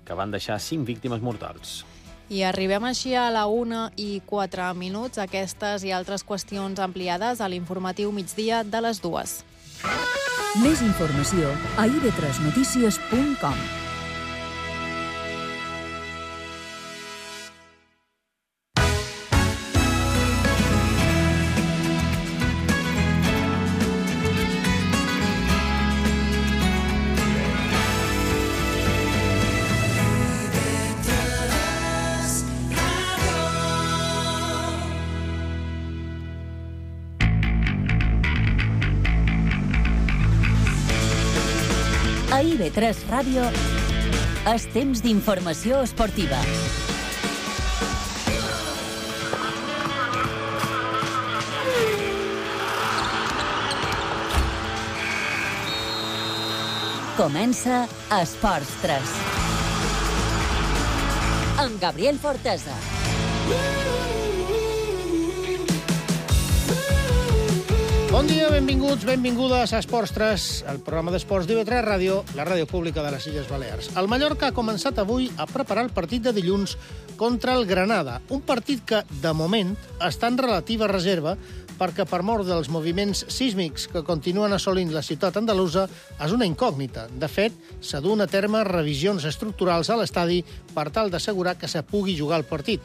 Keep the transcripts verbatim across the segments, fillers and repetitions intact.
que van deixar cinc víctimes mortals. I arribem així a la una i quatre minuts. Aquestes i altres qüestions ampliades a l'informatiu migdia de les dues. Més informació a i be tres notícies punt com. A i be tres Ràdio és temps d'informació esportiva. Comença Esports tres. Amb Gabriel Fortesa. Bon dia, benvinguts, benvingudes a Esports tres, el programa d'esports d'I be tres Ràdio, la ràdio pública de les Illes Balears. El Mallorca ha començat avui a preparar el partit de dilluns contra el Granada, un partit que, de moment, està en relativa reserva perquè, per mort dels moviments sísmics que continuen assolint la ciutat andalusa, és una incògnita. De fet, s'ha dut a terme revisions estructurals a l'estadi per tal d'assegurar que se pugui jugar el partit.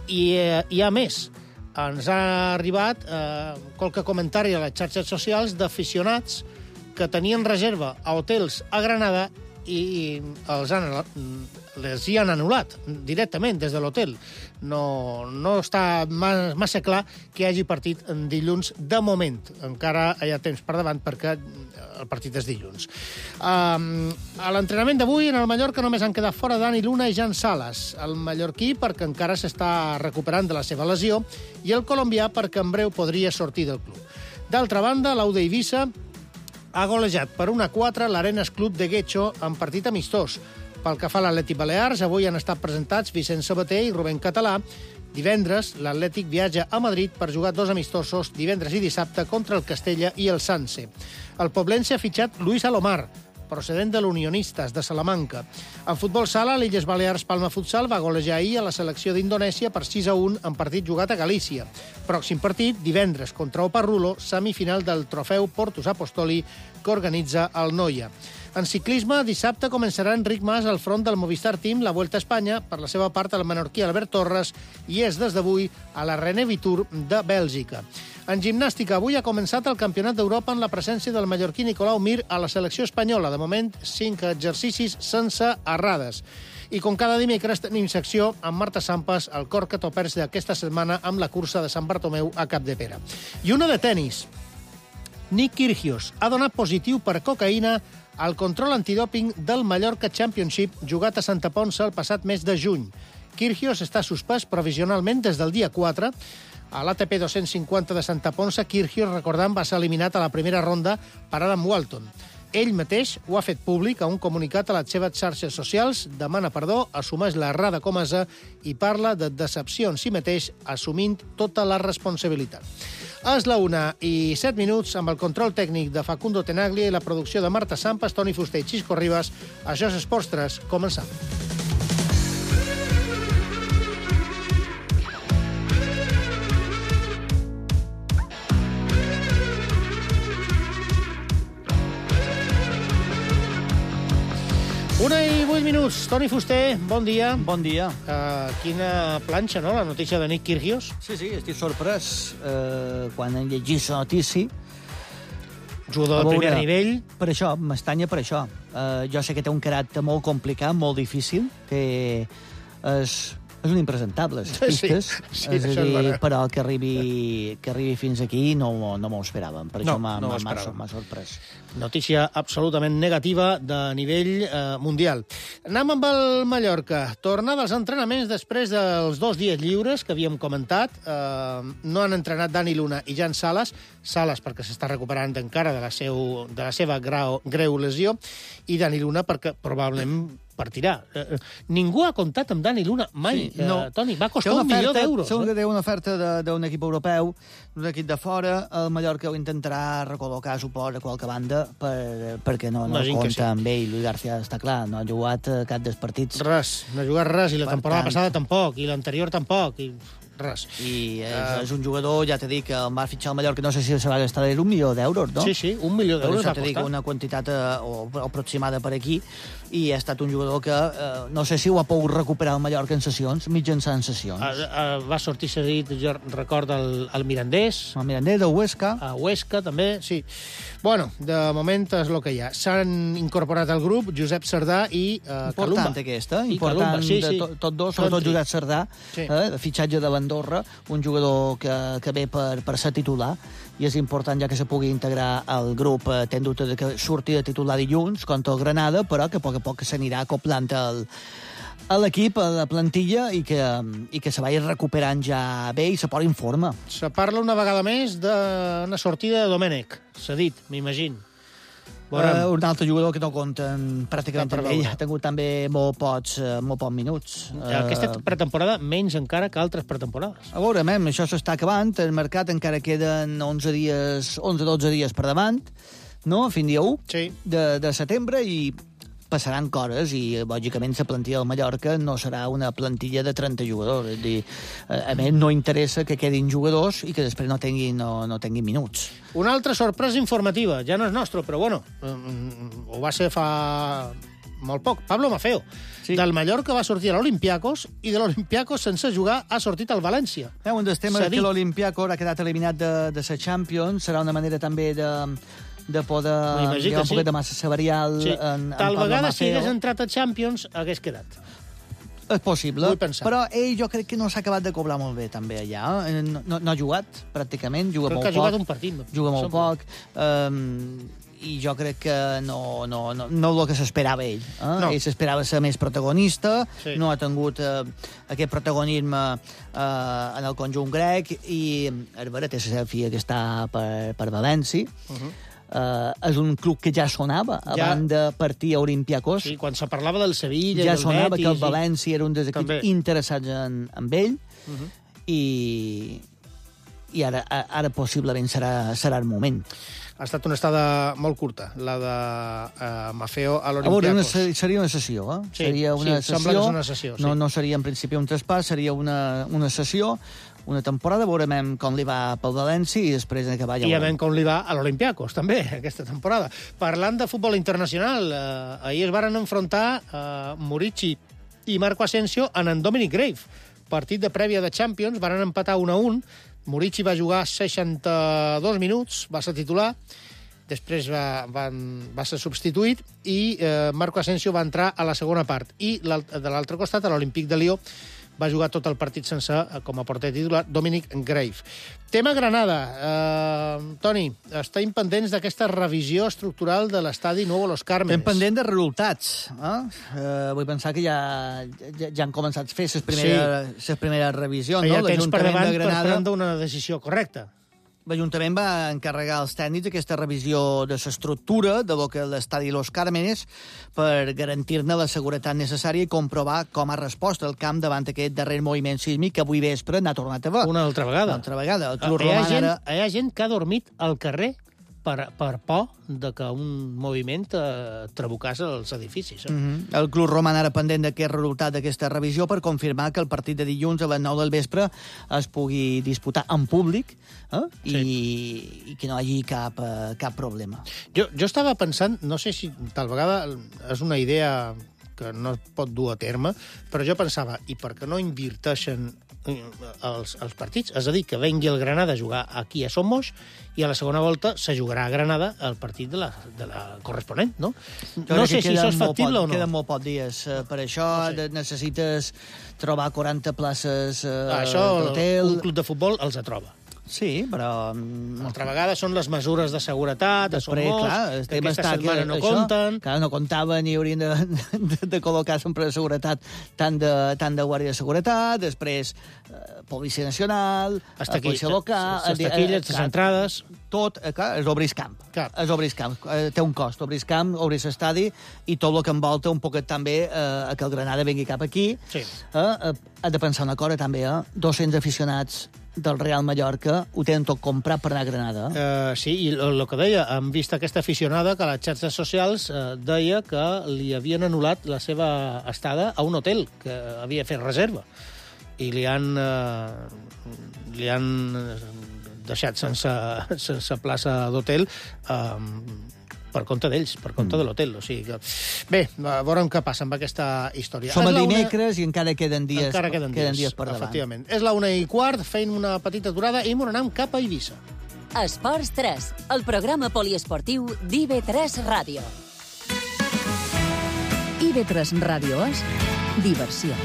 I eh, hi ha més. Ens ha arribat eh, qualque comentari a les xarxes socials d'aficionats que tenien reserva a hotels a Granada i els han, les hi han anul·lat directament des de l'hotel. No, no està massa clar que hi hagi partit en dilluns de moment. Encara hi ha temps per davant perquè el partit és dilluns. Um, a l'entrenament d'avui en el Mallorca només han quedat fora Dani Luna i Jan Sales. El mallorquí perquè encara s'està recuperant de la seva lesió i el colombià perquè en breu podria sortir del club. D'altra banda, l'Aude Eivissa ha golejat per un a quatre l'Arenas Club de Guecho en partit amistós. Pel que fa a l'Atlètic Balears, avui han estat presentats Vicent Sabater i Rubén Català. Divendres, l'Atlètic viatja a Madrid per jugar dos amistosos divendres i dissabte contra el Castella i el Sanse. El poblense ha fitxat Luis Alomar, procedent de l'Unionistes de Salamanca. En futbol sala, l'Illes Balears Palma Futsal va golejar ahir a la selecció d'Indonèsia per sis a un en partit jugat a Galícia. Pròxim partit, divendres contra Oparrulo, semifinal del trofeu Portus Apostoli que organitza el Noia. En ciclisme, dissabte començarà Enric Mas al front del Movistar Team la Vuelta a Espanya, per la seva part el menorquí Albert Torres, i és des d'avui a la René Tour de Bèlgica. En gimnàstica, avui ha començat el Campionat d'Europa en la presència del mallorquí Nicolau Mir a la selecció espanyola. De moment, cinc exercicis sense errades. I com cada dimecres tenim secció amb Marta Sampas, el cor que topers d'aquesta setmana amb la cursa de Sant Bartomeu a Capdepera. I una de tenis. Nick Kyrgios ha donat positiu per cocaïna al control antidòping del Mallorca Championship jugat a Santa Ponça el passat mes de juny. Kyrgios està suspès provisionalment des del dia quatre. A l'A T P dos-cents cinquanta de Santa Ponça, Kyrgios, recordant, va ser eliminat a la primera ronda per Adam Walton. Ell mateix ho ha fet públic a un comunicat a les seves xarxes socials, demana perdó, assumeix l'errada comesa i parla de decepció en si mateix, assumint tota la responsabilitat. És la una i set minuts amb el control tècnic de Facundo Tenaglia i la producció de Marta Sampas, Toni Fuster i Xisco Ribas. Això és Esports tres. Començam. Una i vuit minuts. Toni Fuster, bon dia. Bon dia. Uh, quina planxa, no?, la notícia de Nick Kyrgios. Sí, sí, estic sorprès uh, quan hem llegit la notícia. Jugador de primer nivell. Per això, m'estanya per això. Uh, jo sé que té un caràcter molt complicat, molt difícil, que és, és un impresentable, les pistes. Sí, sí, és a això dir, és però que arribi, que arribi fins aquí no, no m'ho esperàvem. Per no, això m'ha no no sorprès. Notícia absolutament negativa de nivell eh, mundial. Anem amb el Mallorca. Tornar dels entrenaments després dels dos dies lliures que havíem comentat. Eh, no han entrenat Dani Luna i Jan Sales. Sales perquè s'està recuperant encara de la, seu, de la seva grau, greu lesió, i Dani Luna perquè probablement per tirar. Eh, ningú ha comptat amb Dani Luna mai, sí, no. eh, Toni. Va costar un milió d'euros. Segur eh? que té una oferta d'un equip europeu, d'un equip de fora. El Mallorca ho intentarà recol·locar, suposa, a qualque banda, per, perquè no, no compta sí. amb ell. Luis García, està clar, no ha jugat cap dels partits. Res, no ha jugat res, i la per temporada tant... passada tampoc, i l'anterior tampoc, i... res. I és, uh, és un jugador, ja t'he dit, que el va fitxar al Mallorca, no sé si se va gastar un milió d'euros, no? Sí, sí, un milió d'euros va costar. Dic, una quantitat uh, o, aproximada per aquí, i ha estat un jugador que uh, no sé si ho ha pogut recuperar el Mallorca en sessions, mitjançant sessions. Uh, uh, va sortir cedit, jo recordo, el, el Mirandés. El Mirandés, de Huesca. A Huesca, també, sí. Bueno, de moment és el que hi ha. S'han incorporat al grup Josep Cerdà i uh, important Calumba. aquesta, I important Calumba, sí, sí. de to, tots dos, sobretot Josep Cerdà, sí. eh, de fitxatge de l'Andorra, un jugador que, que ve per, per ser titular, i és important ja que se pugui integrar al grup. Eh, ten dubte de que surti de titular dilluns contra el Granada, però que a poc a poc s'anirà acoplant el, a l'equip, a la plantilla, i que, i que se vagi recuperant ja bé i se posi en forma. Se parla una vegada més d'una sortida de Domènech, cedit, m'imagino. Uh, un altre jugador que no compten pràcticament amb ell. Ha tingut també molt pocs, uh, molt pocs minuts. Aquesta pretemporada menys encara que altres pretemporades. A veure, mem, això s'està acabant. El mercat encara queden onze dies, onze dotze dies per davant, no? Fins dia u sí. de, de setembre, i passaran coses, i lògicament la plantilla del Mallorca no serà una plantilla de trenta jugadors. És dir, a més, no interessa que quedin jugadors i que després no tinguin, no, no tinguin minuts. Una altra sorpresa informativa, ja no és nostre, però bueno, ho va ser fa molt poc. Pablo Maffeo, sí. Del Mallorca va sortir a l'Olympiacos, i de l'Olympiacos, sense jugar, ha sortit al València. Eh, un dels temes que l'Olympiacos ha quedat eliminat de, de la Champions, serà una manera també de... de poder dir un poquet de massa salarial sí. en, en Tal Pablo vegada, Maffeo. si hagués entrat a Champions, hagués quedat. És possible, però ell jo crec que no s'ha acabat de cobrar molt bé, també, allà. No, no, no ha jugat, pràcticament, juga crec molt que poc. ha jugat un partit. Juga molt poc, um, i jo crec que no, no, no, no el que s'esperava ell. Eh? No. Ell s'esperava ser més protagonista, sí. No ha tingut eh, aquest protagonisme eh, en el conjunt grec, i a veure, té la seva filla que està per, per València. Uh-huh. Uh, és un club que ja sonava ja, abans de partir a Olympiacos. Sí, quan se parlava del Sevilla, ja del sonava Betis, que el València era un dels equips també interessats en, en ell, uh-huh. i, i ara, ara possiblement serà, serà el moment. Ha estat una estada molt curta, la de uh, Maffeo a l'Olympiacos. A veure, una, seria una sessió, eh? Sí, seria una sí, sessió, sembla que és una sessió. Sí. No, no seria en principi un traspàs, seria una, una sessió, una temporada, veurem com li va pel València, i després d'acabar ja... I a veure com li va a l'Olympiacos, també, aquesta temporada. Parlant de futbol internacional, eh, ahir es varen enfrontar eh, Murici i Marco Asensio en en Dominic Grave. Partit de prèvia de Champions, varen empatar un a un. Murici va jugar seixanta-dos minuts, va ser titular, després va, van, va ser substituït, i eh, Marco Asensio va entrar a la segona part. I de l'altre costat, a l'Olímpic de Lió, va jugar tot el partit sense, com a porter titular, Dominic Grave. Tema Granada. Eh, Toni, estem pendents d'aquesta revisió estructural de l'estadi Nuevo Los Cármenes. Estem pendents de resultats. Eh? Eh, vull pensar que ja, ja, ja han començat a fer les primeres, sí. les primeres revisions. Ja no? tens per davant de Granada per prendre una decisió correcta. L'Ajuntament va encarregar als tècnics aquesta revisió de l'estructura de lo que és l'estadi Los Cármenes, per garantir-ne la seguretat necessària i comprovar com ha respost el camp davant aquest darrer moviment sísmic que avui vespre n'ha tornat a veure. Una altra vegada. Una altra vegada. El Club hi, ha Roman gent, ara... hi ha gent que ha dormit al carrer per, per por de que un moviment eh, trabucàs els edificis. Eh? Mm-hmm. El Club Roman ara pendent d'aquest resultat d'aquesta revisió per confirmar que el partit de dilluns a les nou del vespre es pugui disputar en públic, eh? sí. I, i que no hi hagi cap, uh, cap problema. Jo, jo estava pensant, no sé si tal vegada és una idea que no es pot dur a terme, però jo pensava, i per què no invirteixen els, els partits? És a dir, que vengui el Granada a jugar aquí a Somos, i a la segona volta se jugarà a Granada el partit de la, de la corresponent, no? Jo no sé si això és factible o no. Queden molt pocs dies. Per això no sé. Necessites trobar quaranta places uh, això d'hotel. Un club de futbol els troba. Sí, però... Altra vegada són les mesures de seguretat, Després, són molts, clar, que aquesta setmana que, no això, compten... Clar, no comptaven i haurien de, de, de col·locar sempre de seguretat, tant de, tant de guàrdia de seguretat, després eh, Policia Nacional, Hasta aquí, Policia Local... les taquilles, les entrades... Tot, eh, clar, és obrir camp. Clar. És obrir camp. Eh, té un cost, obrir camp, obrir estadi, i tot el que envolta un poquet també eh, que el Granada vingui cap aquí. Sí. Eh, eh, ha de pensar una cosa també, eh? dos-cents aficionats del Real Mallorca ho tenen tot comprat per anar a Granada. Uh, sí, i el que deia, hem vist aquesta aficionada que a les xarxes socials uh, deia que li havien anul·lat la seva estada a un hotel, que havia fet reserva, i li han, uh, li han deixat sense, sense plaça d'hotel uh, per compte d'ells, per compte mm. de l'hotel. O sigui que... Bé, veurem què passa amb aquesta història. Som a dimecres una... i encara queden dies, encara queden dies, queden dies per davant. Efectivament. És la una i quart, feim una petita aturada i m'ho anem cap a Eivissa. Esports tres, el programa poliesportiu d'I V tres Ràdio. I V tres Ràdio és diversió.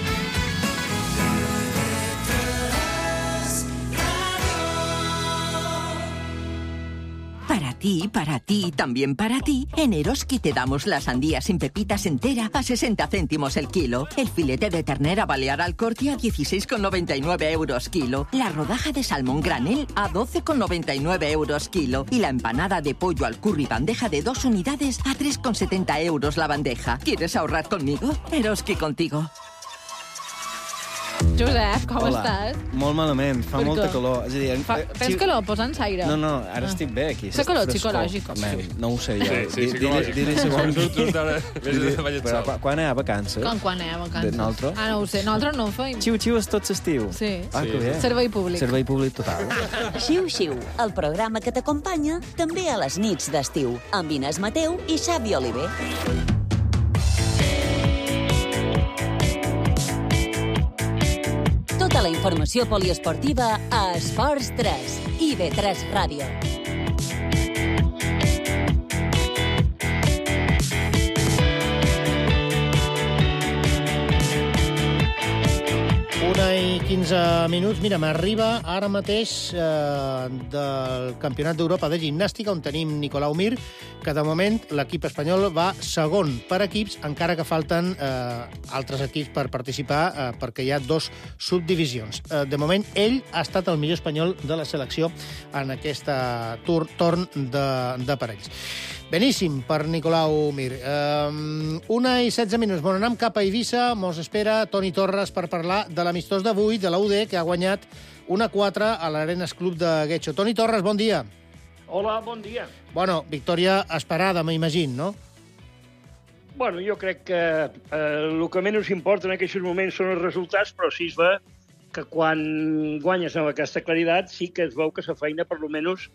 Para ti, para ti, también para ti, en Eroski te damos la sandía sin pepitas entera a sesenta céntimos el kilo, el filete de ternera balear al corte a dieciséis con noventa y nueve euros kilo, la rodaja de salmón granel a doce con noventa y nueve euros kilo y la empanada de pollo al curry bandeja de dos unidades a tres con setenta euros la bandeja. ¿Quieres ahorrar conmigo? Eroski contigo. Josep, com Hola. estàs? Molt malament, fa Per molta què? calor. És a dir, Fa... eh, Tens si- calor? Posa'ns aire. No, no, ara Ah. estic bé aquí. Fa calor Frescor. psicològic. Man, no ho sé jo. Sí, sí, Di- psicològic. Dili si vols. Tu, tu encara vés de ballet Però sol. quan- quan hi ha vacances? Com quan anem a vacances? De nosaltres? Ah, no ho sé. Nosaltres no ho feim. Xiu-xiu és tot l'estiu. Sí. Ah, que bé. Servei públic. Servei públic total. Xiu-xiu, el programa que t'acompanya també a les nits d'estiu, amb Inés Mateu i Xavi Oliver. Tota la informació poliesportiva a Esports tres, I V tres Ràdio. Una i quinze minuts. Mira, m'arriba ara mateix eh, del Campionat d'Europa de Gimnàstica, on tenim Nicolau Mir, que de moment l'equip espanyol va segon per equips, encara que falten eh, altres equips per participar, eh, perquè hi ha dos subdivisions. Eh, de moment, ell ha estat el millor espanyol de la selecció en aquesta tur torn de, de parells. Beníssim per Nicolau Mir. Um, una i setze minuts. Bon, anem cap a Eivissa. Mos espera Toni Torres per parlar de l'amistós d'avui de la U D, que ha guanyat una a quatre a l'Arenas Club de Guecho. Toni Torres, bon dia. Hola, bon dia. Bueno, victòria esperada, m'imagino, no? Bueno, jo crec que eh, el que menys importa en aquests moments són els resultats, però sí es ve que quan guanyes amb aquesta claritat sí que es veu que la feina, per lo menys,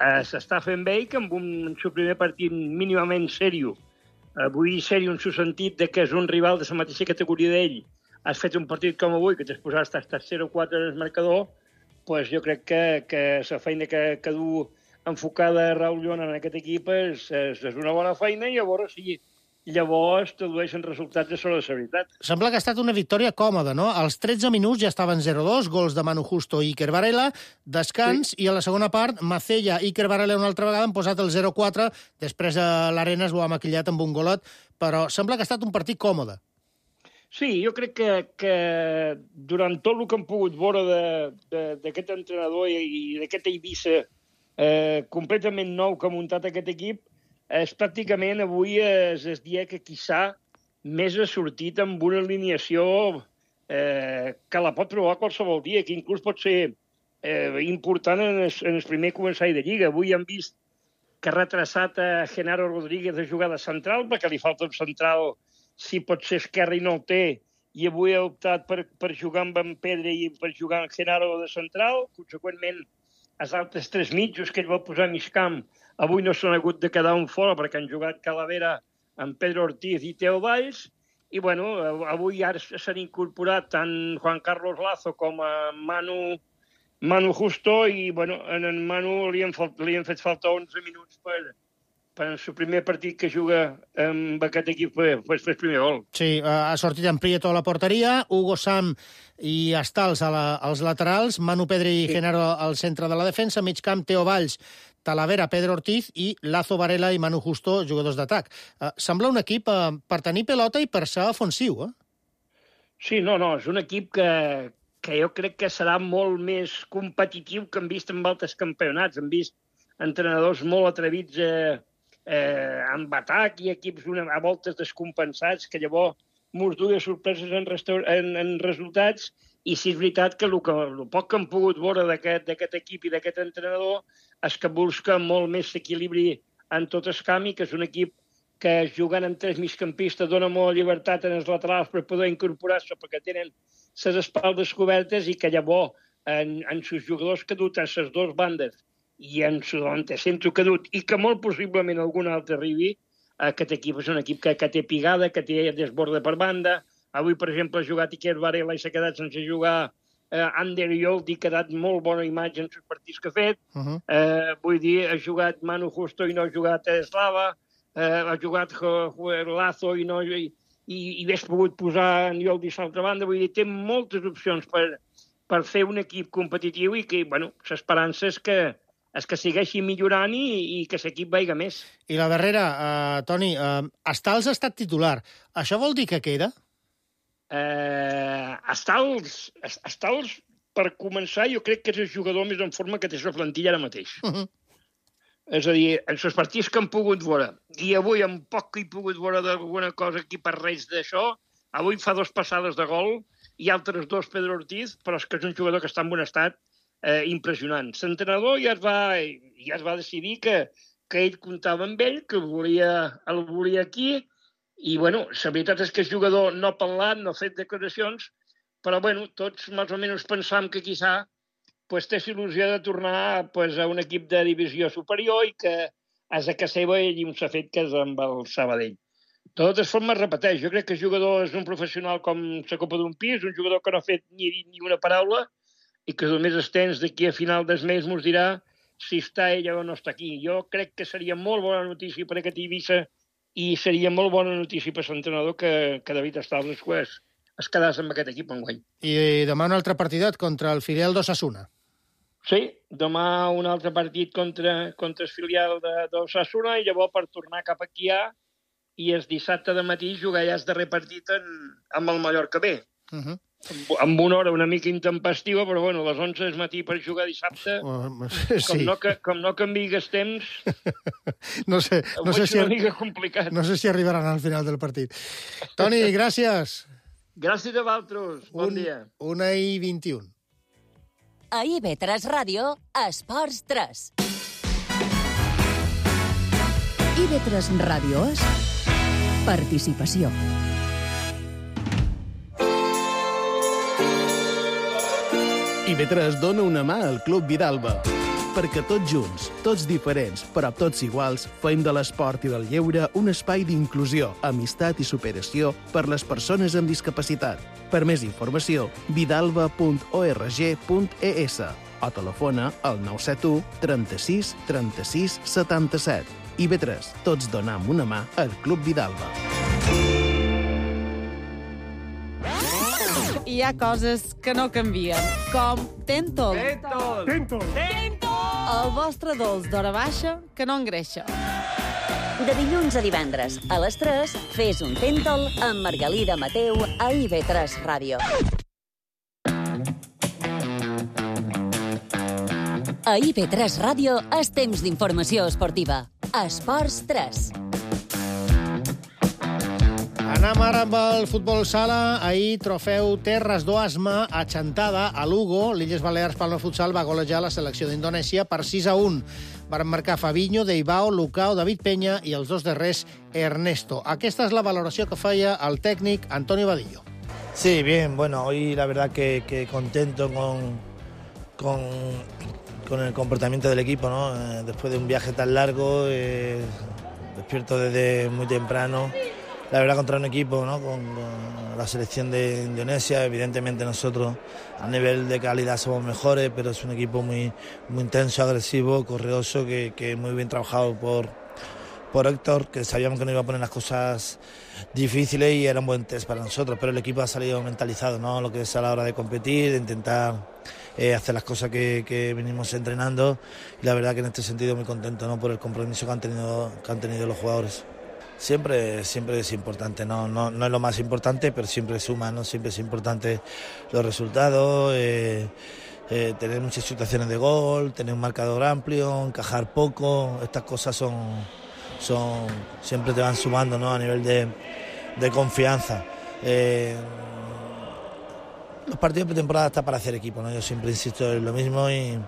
eh, s'està fent bé i que amb un, en el primer partit mínimament sèrio, avui sèrio en el sentit de que és un rival de la mateixa categoria d'ell, has fet un partit com avui, que t'has posat hasta zero quatre en el marcador, pues jo crec que, que la feina que, que du enfocada Raül Llona en aquest equip és, és, és una bona feina i llavors sí, llavors tradueixen resultats de sobre la veritat. Sembla que ha estat una victòria còmoda, no? Als tretze minuts ja estaven zero dos, gols de Manu Justo i Iker Varela, descans, sí. I a la segona part, Macella i Iker Varela una altra vegada han posat el zero quatre, després de l'Arenas ho ha maquillat amb un golet, però sembla que ha estat un partit còmode. Sí, jo crec que, que durant tot el que hem pogut veure d'aquest entrenador i, i d'aquest Eivissa eh, completament nou que ha muntat aquest equip, és pràcticament avui és el dia que quizà més ha sortit amb una alineació eh, que la pot provar qualsevol dia, que inclús pot ser eh, important en el, en el primer començall de Lliga. Avui hem vist que ha retrasat a Genaro Rodríguez de jugar de central, perquè li falta un central, si pot ser esquerre i no el té, i avui ha optat per, per jugar amb en Pedre i per jugar amb Genaro de central. Conseqüentment, els altres tres mitjos que ell va posar a mig camp avui no s'han hagut de quedar un fora perquè han jugat Calavera amb Pedro Ortiz i Teo Valls. I, bueno, avui ara s'han incorporat tant Juan Carlos Lazo com a Manu, Manu Justo i, bueno, en en Manu li han, li han fet falta onze minuts per, per el primer partit que juga amb aquest equip fes el primer gol. Sí, ha sortit en Prieto a la porteria, Hugo Sam i Stals a la, als laterals, Manu Pedri i sí. Genaro al centre de la defensa, mig camp Teo Valls, Talavera, Pedro Ortiz i Lazo Varela i Manu Justo, jugadors d'atac. Uh, sembla un equip uh, per tenir pelota i per ser ofensiu, eh? Sí, no, no, és un equip que, que jo crec que serà molt més competitiu que hem vist en altres campionats. Hem vist entrenadors molt atrevits eh, eh, amb atac i equips una, a voltes descompensats, que llavors mos duia sorpreses en, en, en resultats. I sí és veritat que el, que el poc que hem pogut veure d'aquest equip i d'aquest entrenador és que busca molt més equilibri en tot el camp i que és un equip que jugant amb tres migcampistes dona molta llibertat en els laterals per poder incorporar-se perquè tenen les espaldes cobertes i que llavors en, en els jugadors que dut a les dues bandes i en el centre que dut i que molt possiblement algun altre arribi, aquest equip és un equip que, que té pigada, que té desborde per banda. Avui, per exemple, ha jugat Iker Varela i s'ha quedat sense jugar eh, Ander Yoldi, ha quedat molt bona imatge en els partits que ha fet. Uh -huh. eh, vull dir, ha jugat Manu Justo i no ha jugat Slava, eh, ha jugat Lazo i no... I, i, i hauria pogut posar en Yoldi a l'altra banda. Vull dir, té moltes opcions per, per fer un equip competitiu i que, bueno, l'esperança és que és que segueixi millorant i, i que l'equip vaiga més. I la darrera, uh, Toni, uh, Stals ha estat titular. Això vol dir que queda? Eh, Stals, Stals, per començar, jo crec que és el jugador més en forma que té la plantilla ara mateix. Uh -huh. És a dir, en els partits que hem pogut veure, i avui en poc que he pogut veure d'alguna cosa aquí per res d'això, avui fa dos passades de gol i altres dos Pedro Ortiz, però és que és un jugador que està en bon estat eh, impressionant. L'entrenador ja es va, ja es va decidir que, que ell comptava amb ell, que el volia, el volia aquí. I, bueno, la veritat és que el jugador no ha parlat, no ha fet declaracions, però, bueno, tots més o menys pensam que quizà pues, té il·lusió de tornar pues, a un equip de divisió superior i que és a casa seva ell s'ha fet que és amb el Sabadell. De totes formes, repeteix, jo crec que el jugador és un professional com la copa d'un pis, un jugador que no ha fet ni, ni una paraula i que només es tens d'aquí a final del mes mos dirà si està ella o no està aquí. Jo crec que seria molt bona notícia per aquest Eivissa i seria molt bona notícia per l'entrenador que, que David Stals es, es quedés amb aquest equip enguany. I demà un altre partidet contra el filial d'Osasuna. Sí, demà un altre partit contra, contra el filial d'Osasuna i llavors per tornar cap aquí ja i el dissabte de matí jugar ja el darrer partit en, amb el Mallorca B. Uh -huh. Amb una hora una mica intempestiva, però bueno, a les onze del matí per jugar dissabte, uh, sí. com, no, com no canviï els temps, no sé, no sé si una mica complicat. No sé si arribaran al final del partit. Toni, gràcies. Gràcies a vosaltres. Bon un, dia. Una i vint-i-un. A I V tres Ràdio, Esports tres. I V tres Ràdio és participació. I V tres dona una mà al Club Vidalba, perquè tots junts, tots diferents, però tots iguals, fem de l'esport i del lleure un espai d'inclusió, amistat i superació per les persones amb discapacitat. Per més informació, vidalba punt org punt es o telefona al nou set u trenta-sis trenta-sis setanta-set. I V tres, tots donam una mà al Club Vidalba. Hi ha coses que no canvien, com Tentol. Tentol! Tentol! Tentol! El vostre dolç d'hora baixa que no engreixa. De dilluns a divendres, a les tres, fes un Tentol amb Margalida Mateu a I V tres Ràdio. A I V tres Ràdio és temps d'informació esportiva. Esports tres. Anem ara amb el futbol sala. Ahir, trofeu Terres d'Oasma a Chantada, a Lugo. L'Illes Balears Palma Futsal va golejar la selecció d'Indonèsia per sis a un. Van marcar Fabinho, Deibao, Lucao, David Peña i els dos darrers Ernesto. Aquesta és la valoració que feia el tècnic Antonio Vadillo. Sí, bien. Bueno, hoy la verdad que, que contento con, con, con el comportamiento del equipo, ¿no? Eh, después de un viaje tan largo, eh, despierto desde muy temprano. La verdad, contra un equipo, ¿no? con, con la selección de Indonesia, evidentemente nosotros a nivel de calidad somos mejores, pero es un equipo muy, muy intenso, agresivo, correoso, que, que muy bien trabajado por, por Héctor, que sabíamos que nos iba a poner las cosas difíciles y era un buen test para nosotros, pero el equipo ha salido mentalizado, ¿no? Lo que es a la hora de competir, de intentar eh, hacer las cosas que, que venimos entrenando, y la verdad que en este sentido muy contento, ¿no? Por el compromiso que han tenido, que han tenido los jugadores. Siempre, siempre es importante, ¿no? No, no es lo más importante, pero siempre suma, ¿no? Siempre es importante los resultados, eh, eh, tener muchas situaciones de gol, tener un marcador amplio, encajar poco, estas cosas son, son siempre te van sumando, ¿no? A nivel de, de confianza. Eh, los partidos de pretemporada están para hacer equipo, ¿no? Yo siempre insisto en lo mismo y,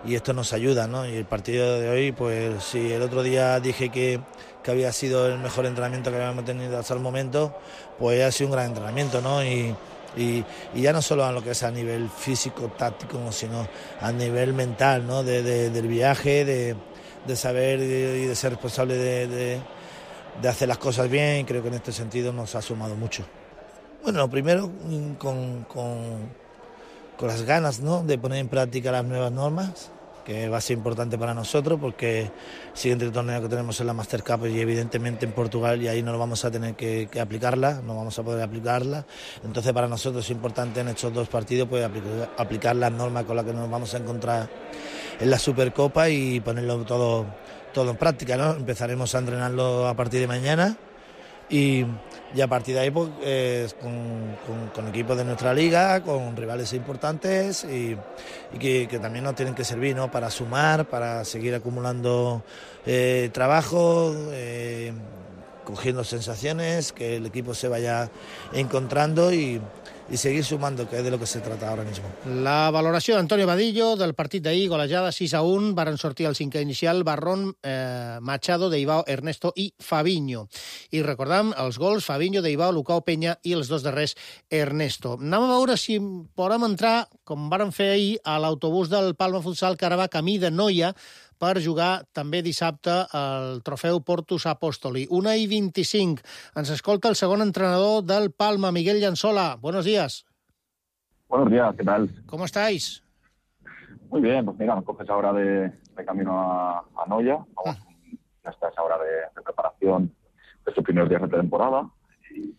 y esto nos ayuda, ¿no? Y el partido de hoy, pues si el otro día dije que, que había sido el mejor entrenamiento que habíamos tenido hasta el momento, pues ha sido un gran entrenamiento, ¿no? Y, y, y ya no solo a lo que es a nivel físico, táctico, sino a nivel mental, ¿no? De, de, del viaje, de, de saber y de ser responsable de, de, de hacer las cosas bien, y creo que en este sentido nos ha sumado mucho. Bueno, lo primero, con, con, con las ganas, ¿no? De poner en práctica las nuevas normas, que va a ser importante para nosotros porque el siguiente torneo que tenemos es la Master Cup y evidentemente en Portugal, y ahí no vamos a tener que, que aplicarla, no vamos a poder aplicarla. Entonces para nosotros es importante en estos dos partidos pues, aplicar, aplicar las normas con las que nos vamos a encontrar en la Supercopa y ponerlo todo, todo en práctica, ¿no? Empezaremos a entrenarlo a partir de mañana. Y, y a partir de ahí pues, eh, con, con, con equipos de nuestra liga, con rivales importantes y, y que, que también nos tienen que servir, ¿no? Para sumar, para seguir acumulando eh, trabajo, eh, cogiendo sensaciones, que el equipo se vaya encontrando y, i seguir sumando, que és de lo que se trata ahora mismo. La valoració d'Antonio Vadillo del partit d'ahir, golejada sis a un, varen sortir al cinquè inicial Barrón, eh, Machado, Deibao, Ernesto i Fabinho. I recordam els gols Fabinho, Deibao, Lucao, Peña i els dos darrers Ernesto. Anem a veure si podem entrar, com varen fer ahir, a l'autobús del Palma Futsal, que ara va camí de Noia, per jugar també dissabte el trofeu Portus Apostoli. una i vint-i-cinc. Ens escolta el segon entrenador del Palma, Miguel Llanzola. Buenos días. Buenos días, ¿qué tal? ¿Cómo estáis? Muy bien, pues mira, nos coges ahora de, de camino a, a Noia. Vamos, ah. Ya está esa hora de, de preparación de estos primeros días de temporada. Y,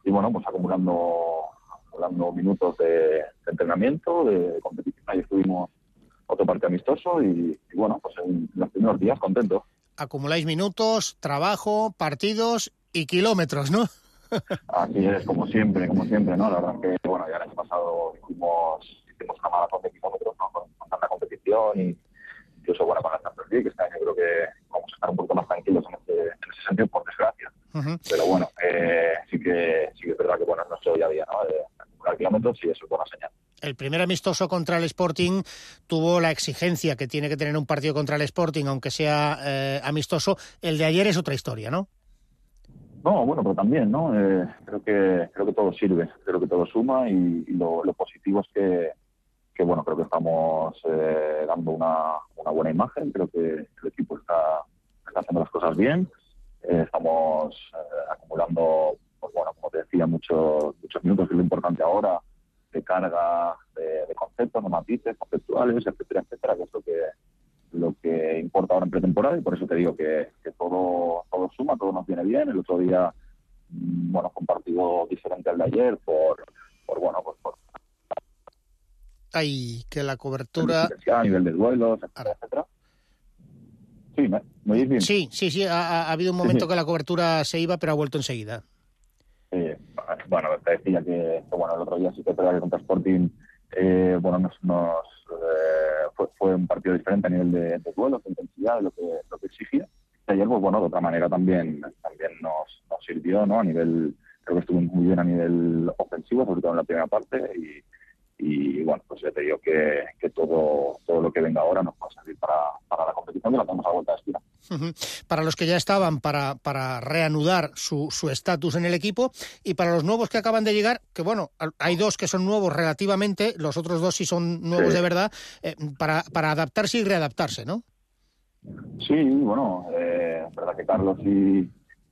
y bueno, pues acumulando, acumulando minutos de, de entrenamiento, de, de competición. Ahí estuvimos otro partido amistoso y, y bueno, pues en los primeros días contento. Acumuláis minutos, trabajo, partidos y kilómetros, ¿no? Así es, como siempre, como siempre, ¿no? La verdad es que, bueno, ya el año pasado hicimos, hicimos una maratón de kilómetros, ¿no? Con, con tanta competición y incluso, bueno, con la Champions League, que este año creo que vamos a estar un poquito más tranquilos en ese, en ese sentido, por desgracia. Uh-huh. Pero bueno, eh, sí que sí que es verdad que, bueno, es nuestro día a día, ¿no? De acumular kilómetros y eso es buena señal. El primer amistoso contra el Sporting tuvo la exigencia que tiene que tener un partido contra el Sporting, aunque sea eh, amistoso. El de ayer es otra historia, ¿no? No, bueno, pero también, ¿no? Eh, creo que creo que todo sirve, creo que todo suma y, y lo, lo positivo es que, que, bueno, creo que estamos eh, dando una, una buena imagen. Creo que el equipo está, está haciendo las cosas bien. Eh, estamos eh, acumulando, pues bueno, como te decía, muchos muchos minutos, que es lo importante ahora, de carga de, de conceptos, de matices conceptuales, etcétera, etcétera, que es lo que, lo que importa ahora en pretemporada, y por eso te digo que, que todo, todo suma, todo nos viene bien. El otro día, bueno, fue un partido diferente al de ayer por, por bueno, pues por... Ay, que la cobertura... A nivel de duelos, etcétera, etcétera. Sí, ¿me, ¿me oís bien? Sí, sí, sí, ha, ha habido un momento sí, sí. que la cobertura se iba, pero ha vuelto enseguida. Eh, bueno, te decía que, que bueno, el otro día sí que que contra Sporting eh, bueno, nos, nos eh, fue, fue un partido diferente a nivel de, de duelos, de intensidad, de lo que, lo que exigía. Y ayer, pues bueno, de otra manera también, también nos, nos sirvió, ¿no? A nivel, creo que estuvo muy bien a nivel ofensivo, sobre todo en la primera parte, y, y bueno, pues ya te digo que, que todo, todo lo que venga ahora nos va a servir para, para la competición, que la tenemos a vuelta de esquina. Uh-huh. Para los que ya estaban, para, para reanudar su su estatus en el equipo, y para los nuevos que acaban de llegar, que bueno, hay dos que son nuevos relativamente, los otros dos sí son nuevos sí. de verdad, eh, para, para adaptarse y readaptarse, ¿no? Sí, bueno, eh, es verdad que Carlos y,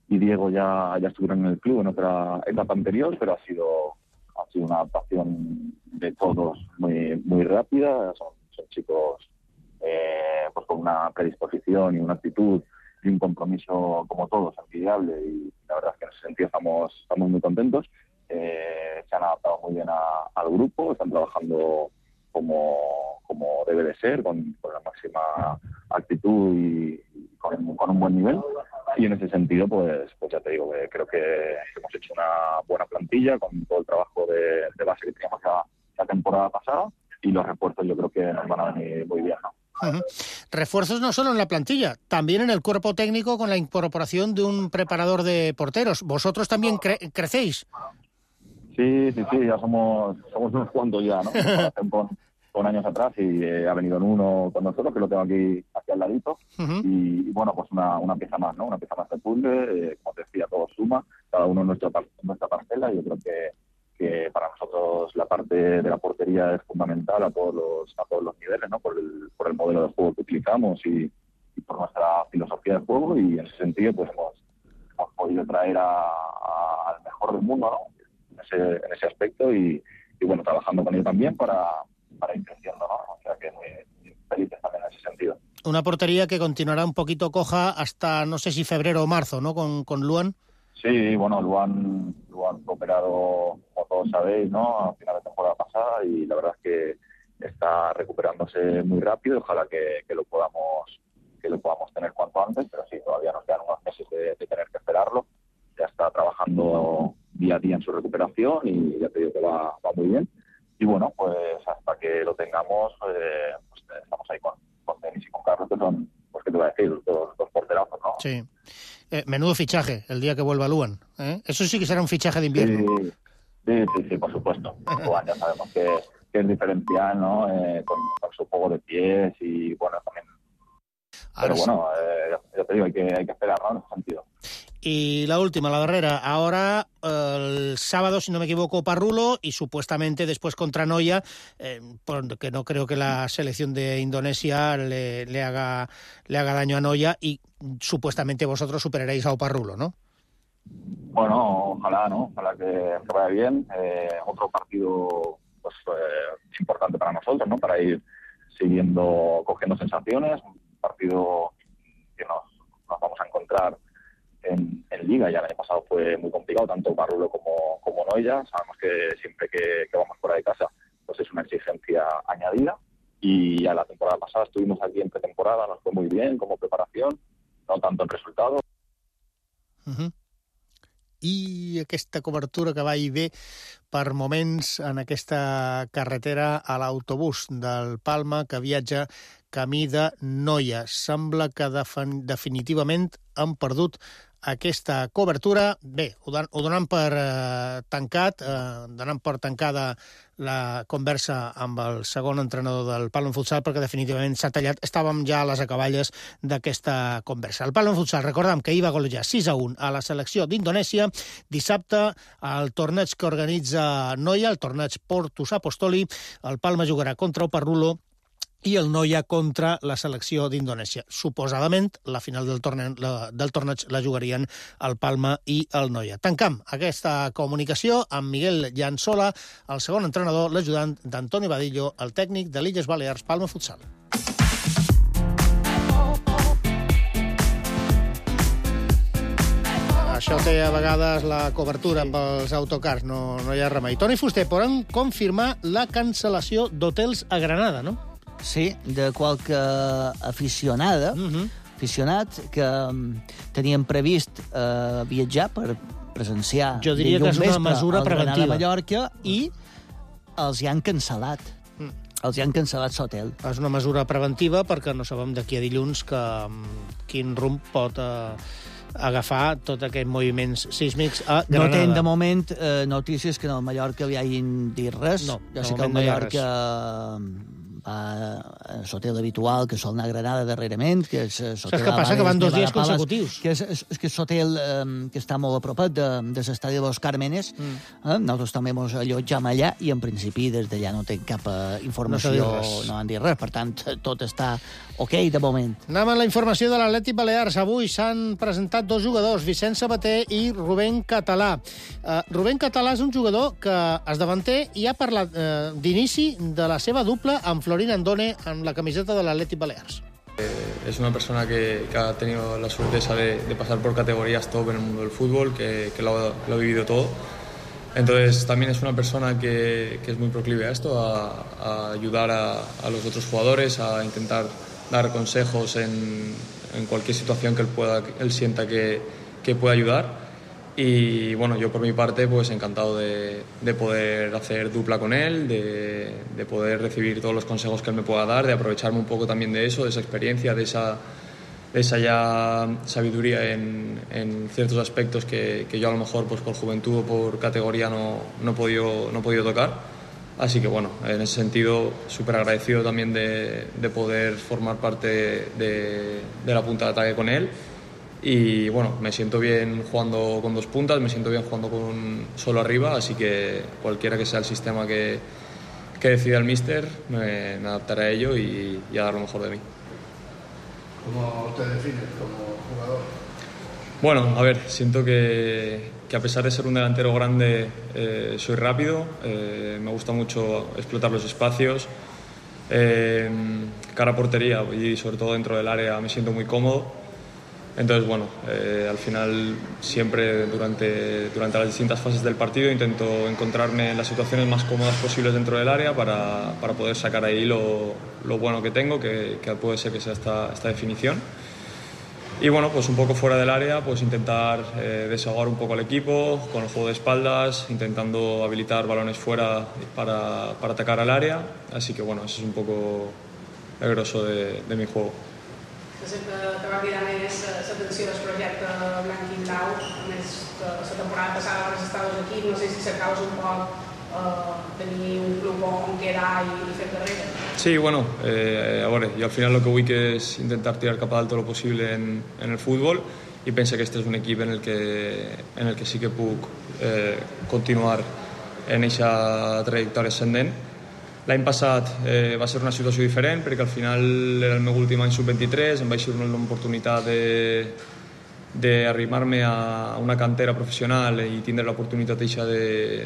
y Diego ya, ya estuvieron en el club en otra etapa anterior, pero ha sido, ha sido una adaptación de todos muy, muy rápida. Son, son chicos eh, pues con una predisposición y una actitud y un compromiso como todos, envidiable, y la verdad es que en ese sentido estamos, estamos muy contentos. Eh, se han adaptado muy bien a, al grupo, están trabajando como, como debe de ser, con, con la máxima actitud y, y con, con un buen nivel. Y en ese sentido, pues, pues ya te digo, que creo que hemos hecho una buena plantilla con todo el trabajo de, de base que teníamos la, la temporada pasada, y los refuerzos yo creo que nos van a venir muy bien, ¿no? Uh-huh. Refuerzos no solo en la plantilla, también en el cuerpo técnico con la incorporación de un preparador de porteros. ¿Vosotros también cre- crecéis? Sí, sí, sí, ya somos somos unos cuantos ya, ¿no? Con, con años atrás, y eh, ha venido en uno con nosotros, que lo tengo aquí, aquí al ladito, uh-huh. y, y bueno, pues una, una pieza más, ¿no? Una pieza más de puzzle, eh, como te decía, todo suma, cada uno en nuestra, en nuestra parcela, y yo creo que que para nosotros la parte de la portería es fundamental a todos los a todos los niveles, ¿no? Por el por el modelo de juego que utilizamos y, y por nuestra filosofía de juego, y en ese sentido pues hemos, hemos podido traer a, a, al mejor del mundo, ¿no? En ese, en ese aspecto, y, y bueno, trabajando con él también para, para ir creciendo, ¿no? O sea que muy, muy felices también en ese sentido. Una portería que continuará un poquito coja hasta, no sé si febrero o marzo, ¿no? Con, con Luan. Sí, bueno, Luan, Luan fue operado, como todos sabéis, ¿no? A final de temporada pasada, y la verdad es que está recuperándose muy rápido. Ojalá que, que lo podamos que lo podamos tener cuanto antes, pero sí, todavía nos quedan unos meses de, de tener que esperarlo. Ya está trabajando día a día en su recuperación y ya te digo que va, va muy bien. Y bueno, pues hasta que lo tengamos, eh, pues estamos ahí con, con Denis y con Carlos, que son, pues qué te voy a decir, los dos, dos porterazos, ¿no? Sí. Eh, menudo fichaje el día que vuelva Luan, ¿eh? Eso sí que será un fichaje de invierno. Sí, sí, sí, sí, por supuesto. Luan ya sabemos que, que es diferencial, ¿no? Eh, con, con su juego de pies y bueno, también. Pero bueno, eh, ya, ya te digo, hay que, hay que esperar, ¿no? En ese sentido. Y la última, la barrera. Ahora, el sábado, si no me equivoco, Parrulo, y supuestamente después contra Noia, eh, porque no creo que la selección de Indonesia le, le, haga, le haga daño a Noia, y supuestamente vosotros superaréis a Parrulo, ¿no? Bueno, ojalá, ¿no? Ojalá que, que vaya bien. Eh, otro partido pues eh, importante para nosotros, ¿no? Para ir siguiendo, cogiendo sensaciones. Un partido que nos, nos vamos a encontrar En, en Liga. Ya el año pasado fue muy complicado, tanto Parrulo como, como Noia. Sabemos que siempre que, que vamos fuera de casa pues es una exigencia añadida, y ya la temporada pasada estuvimos aquí en pretemporada, nos fue muy bien como preparación, no tanto en resultado. Uh-huh. I aquesta cobertura que va i ve per moments en aquesta carretera a l'autobús del Palma que viatja camí de Noia. Sembla que defin- definitivament han perdut aquesta cobertura. Bé, ho, don- ho donen per eh, tancat, eh, donen per tancada la conversa amb el segon entrenador del Palma Futsal, perquè definitivament s'ha tallat. Estàvem ja a les acaballes d'aquesta conversa. El Palma Futsal, recordem que ahir va golejar sis a un a la selecció d'Indonèsia. Dissabte, el torneig que organitza Noia, el torneig Portus Apostoli, el Palma jugarà contra el Parrulo i el Noia contra la selecció d'Indonèsia. Suposadament, la final del torneig, la, del torneig la jugarien el Palma i el Noia. Tancam aquesta comunicació amb Miguel Llançola, el segon entrenador, l'ajudant d'Antoni Badillo, el tècnic de l'Illes Balears Palma Futsal. Això té a vegades la cobertura amb els autocars, no, no hi ha remei. Toni Fuster, poden confirmar la cancel·lació d'hotels a Granada, no? Sí, de qualque aficionada, uh-huh. aficionat que um, tenien previst uh, viatjar per presenciar jo diria que és una mesura preventiva. Mallorca, i els hi han cancel·lat. Mm. Els hi han cancel·lat l'hotel. És una mesura preventiva perquè no sabem d'aquí a dilluns que, quin rumb pot uh, agafar tot aquests moviments sísmics a Granada. No tenen de moment eh, notícies que en el Mallorca hi hagin dit res. No, jo sé que el Mallorca va a l'hotel habitual, que sol anar a Granada darrerament, que és l'hotel... Saps què passa? Que van dos dies consecutius. Que és, és, és que és l'hotel eh, que està molt a propet de, de l'estadi de los Cármenes. Mm. Eh? Nosaltres també ens allotjam allà i, en principi, des d'allà no tenen cap eh, informació, no, no han dit res. Per tant, tot està ok de moment. Anem a la informació de l'Atlètic Balears. Avui s'han presentat dos jugadors, Vicent Sabater i Rubén Català. Uh, Rubén Català és un jugador que es davanter i ha parlat uh, d'inici de la seva dupla amb Florín Andone en la camiseta de l'Atlètic Balears. Es una persona que, que ha tenido la suerte de, de pasar por categorías top en el mundo del fútbol, que, que lo, lo ha vivido todo. Entonces también es una persona que, que es muy proclive a esto, a, a ayudar a, a los otros jugadores, a intentar dar consejos en, en cualquier situación que él, pueda, él sienta que, que pueda ayudar. Y bueno, yo por mi parte pues encantado de, de poder hacer dupla con él, de, de poder recibir todos los consejos que él me pueda dar, de aprovecharme un poco también de eso, de esa experiencia, de esa, de esa ya sabiduría en, en ciertos aspectos que, que yo a lo mejor pues por juventud o por categoría no, no, he podido, no he podido tocar. Así que bueno, en ese sentido súper agradecido también de, de poder formar parte de, de la punta de ataque con él. Y bueno, me siento bien jugando con dos puntas, me siento bien jugando con solo arriba, así que cualquiera que sea el sistema que, que decida el míster, me, me adaptaré a ello y, y a dar lo mejor de mí. ¿Cómo te defines como jugador? Bueno, a ver, siento que, que a pesar de ser un delantero grande, eh, soy rápido, eh, me gusta mucho explotar los espacios, eh, cara a portería y sobre todo dentro del área me siento muy cómodo. Entonces, bueno, eh, al final siempre durante, durante las distintas fases del partido intento encontrarme en las situaciones más cómodas posibles dentro del área para, para poder sacar ahí lo, lo bueno que tengo, que, que puede ser que sea esta, esta definición. Y bueno, pues un poco fuera del área, pues intentar eh, desahogar un poco al equipo con el juego de espaldas, intentando habilitar balones fuera para, para atacar al área. Así que bueno, eso es un poco el grosso de, de mi juego. Sé que te va cridar més l'atenció del projecte blanc i blau, a més la temporada passada abans estaves aquí, no sé si cercaves un poc eh, tenir un club on quedar i, i fer carrera. Sí, bueno, eh, a veure, jo al final lo que vull que és intentar tirar cap a dalt lo possible en, en el futbol i penso que este és un equip en el que, en el que sí que puc eh, continuar en aquesta trajectòria ascendent. L'any passat eh, va ser una situació diferent perquè al final era el meu últim any sub vint-i-tres, em vaig ser una oportunitat d'arrimar-me a una cantera professional i tindre l'oportunitat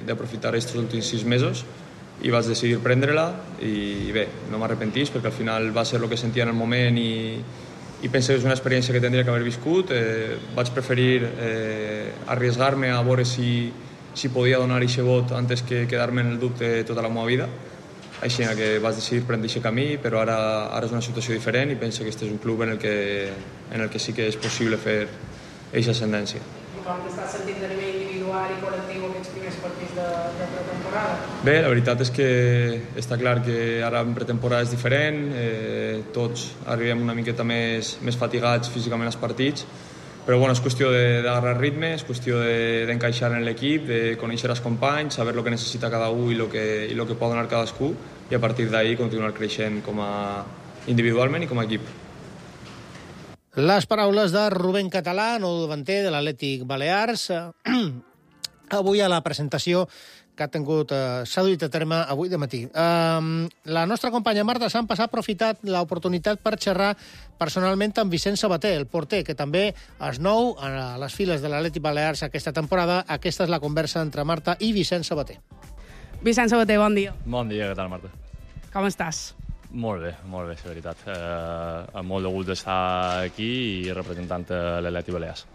d'aprofitar aquests últims sis mesos i vaig decidir prendre-la i bé, no m'arrepentís perquè al final va ser el que sentia en el moment i, i penso que és una experiència que tindria que haver viscut. Eh, vaig preferir eh, arriesgar-me a veure si, si podia donar aquest vot antes que quedar-me en el dubte tota la meva vida. Així que vaig decidir prendre aquest camí, però ara, ara és una situació diferent i penso que este és un club en el que, en el que sí que és possible fer aquesta ascendència. I com t'estàs sentint a nivell individual i col·lectiu aquests primers partits de, de pretemporada? Bé, la veritat és que està clar que ara en pretemporada és diferent, eh, tots arribem una miqueta més, més fatigats físicament als partits, però bueno, és qüestió d'agarrar ritme, és qüestió d'encaixar de, en l'equip, de conèixer els companys, saber el que necessita cada un i el que, i el que pot donar cadascú i a partir d'ahí continuar creixent com a individualment i com a equip. Les paraules de Rubén Català, nou davanter de l'Atlètic Balears. Avui a la presentació que ha tingut, eh, s'ha duit a terme avui de matí. Eh, la nostra companya Marta Sampas ha aprofitat l'oportunitat per xerrar personalment amb Vicent Sabater, el porter, que també és nou a les files de l'Atlètic Balears aquesta temporada. Aquesta és la conversa entre Marta i Vicent Sabater. Vicent Sabater, bon dia. Bon dia, què tal, Marta? Com estàs? Molt bé, molt bé, la veritat. Eh, amb molt de gust d'estar aquí i representant l'Atlètic Balears.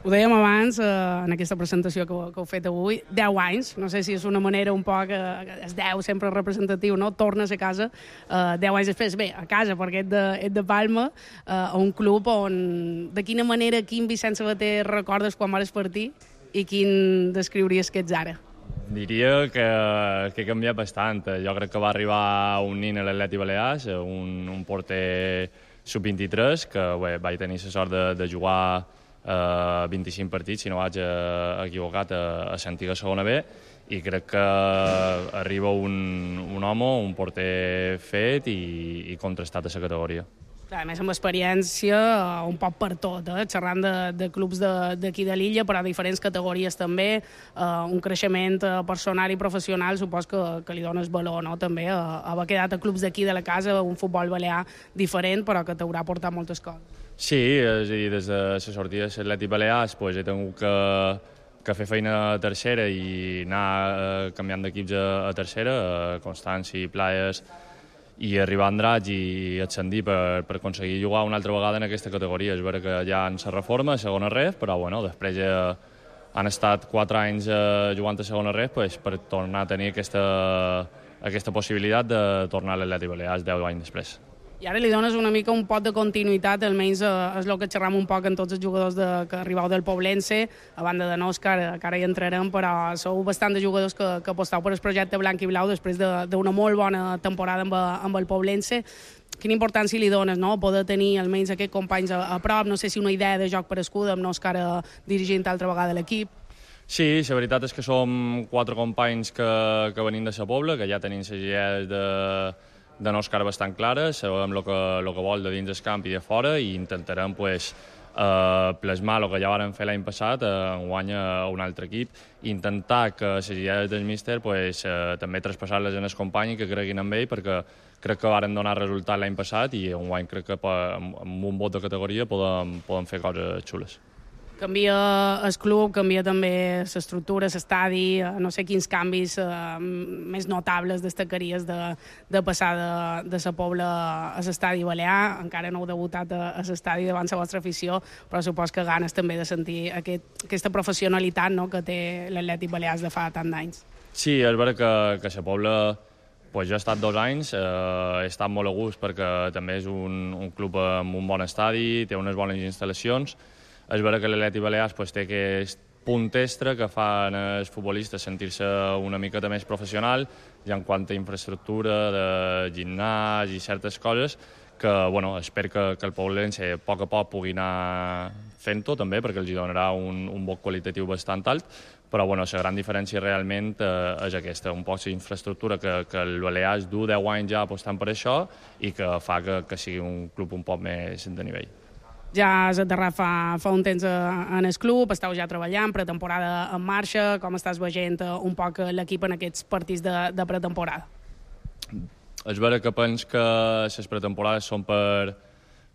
Ho dèiem abans, eh, en aquesta presentació que, que heu fet avui, deu anys, no sé si és una manera un poc, eh, és deu sempre representatiu, no? Tornes a casa, eh, deu anys després, bé, a casa, perquè ets de, ets de Palma, eh, a un club on, de quina manera, quin Vicent Sabater recordes quan vas partir i quin descriuries que ets ara? Diria que, que ha canviat bastant. Jo crec que va arribar un nin a l'Atlètic Balears, un, un porter sub vint-i-tres, que bé, vaig tenir la sort de, de jugar Uh, vint-i-cinc partits, si no vaig uh, equivocat, a, a l'antiga segona B, i crec que arriba un, un home, un porter fet i, i contrastat a la categoria. A més, amb experiència, un poc per tot, eh? Xerrant de, de clubs d'aquí de, de l'illa, però a diferents categories també, eh, un creixement personal i professional, supos que, que li dones valor, no? També eh, haver quedat a clubs d'aquí de la casa, un futbol balear diferent, però que t'haurà portat moltes coses. Sí, és a dir, des de la sortida de l'Atlètic Balears pues, he tingut que, que fer feina a tercera i anar eh, canviant d'equips a, a tercera, a Constància i Playes, i arribar a Andratx i ascendir per, per aconseguir jugar una altra vegada en aquesta categoria. És vera que ja en la reforma, a segona ref, però bueno, després ja han estat quatre anys eh, jugant a segona ref pues, per tornar a tenir aquesta, aquesta possibilitat de tornar a l'Atlètic Balears deu anys després. I ara li dones una mica un pot de continuïtat, almenys eh, és el que xerram un poc en tots els jugadors de, que arribeu del Poblense, a banda de Òscar, que ara hi entrarem, però sou bastant de jugadors que, que aposteu per el projecte blanc i blau després d'una de, molt bona temporada amb, amb el Poblense. Quina importància li dones, no?, poder tenir almenys aquests companys a, a prop, no sé si una idea de joc per escuda, amb Òscar dirigint altra vegada l'equip. Sí, la veritat és que som quatre companys que, que venim de sa Pobla, que ja tenim les idees de de Òscar bastant clares, sabem el que, el que vol de dins del camp i de fora i intentarem pues, eh, plasmar el que ja vàrem fer l'any passat, eh, enguany a un altre equip, i intentar que les idees del míster pues, eh, també traspassar-les en el company i que creguin en ell, perquè crec que varen donar resultat l'any passat i enguany crec que amb un vot de categoria podem, podem fer coses xules. Canvia el club, canvia també l'estructura, l'estadi, no sé quins canvis eh, més notables destacaries de, de passar de, de la Pobla a l'estadi balear. Encara no heu debutat a, a l'estadi davant la vostra afició, però supos que ganes també de sentir aquest, aquesta professionalitat, no?, que té l'Atlètic Balears de fa tant d'anys. Sí, és vera que, que la Pobla pues, jo he estat dos anys, eh, he estat molt a gust perquè també és un, un club amb un bon estadi, té unes bones instal·lacions. És vera que l'Atlètic Balears pues, té aquest punt extra que fan els futbolistes sentir-se una miqueta més professional i en quant a infraestructura de gimnàs i certes coses que bueno, espero que, que el Poblense a poc a poc pugui anar fent-ho també perquè els donarà un, un bon qualitatiu bastant alt, però bueno, la gran diferència realment eh, és aquesta, un poc l'infraestructura que, que el Balears du deu anys ja apostant per això i que fa que, que sigui un club un poc més de nivell. Ja has aterrat fa, fa un temps en el club, esteu ja treballant, pretemporada en marxa, com estàs veient un poc l'equip en aquests partits de, de pretemporada? És vera que penso que les pretemporades són per,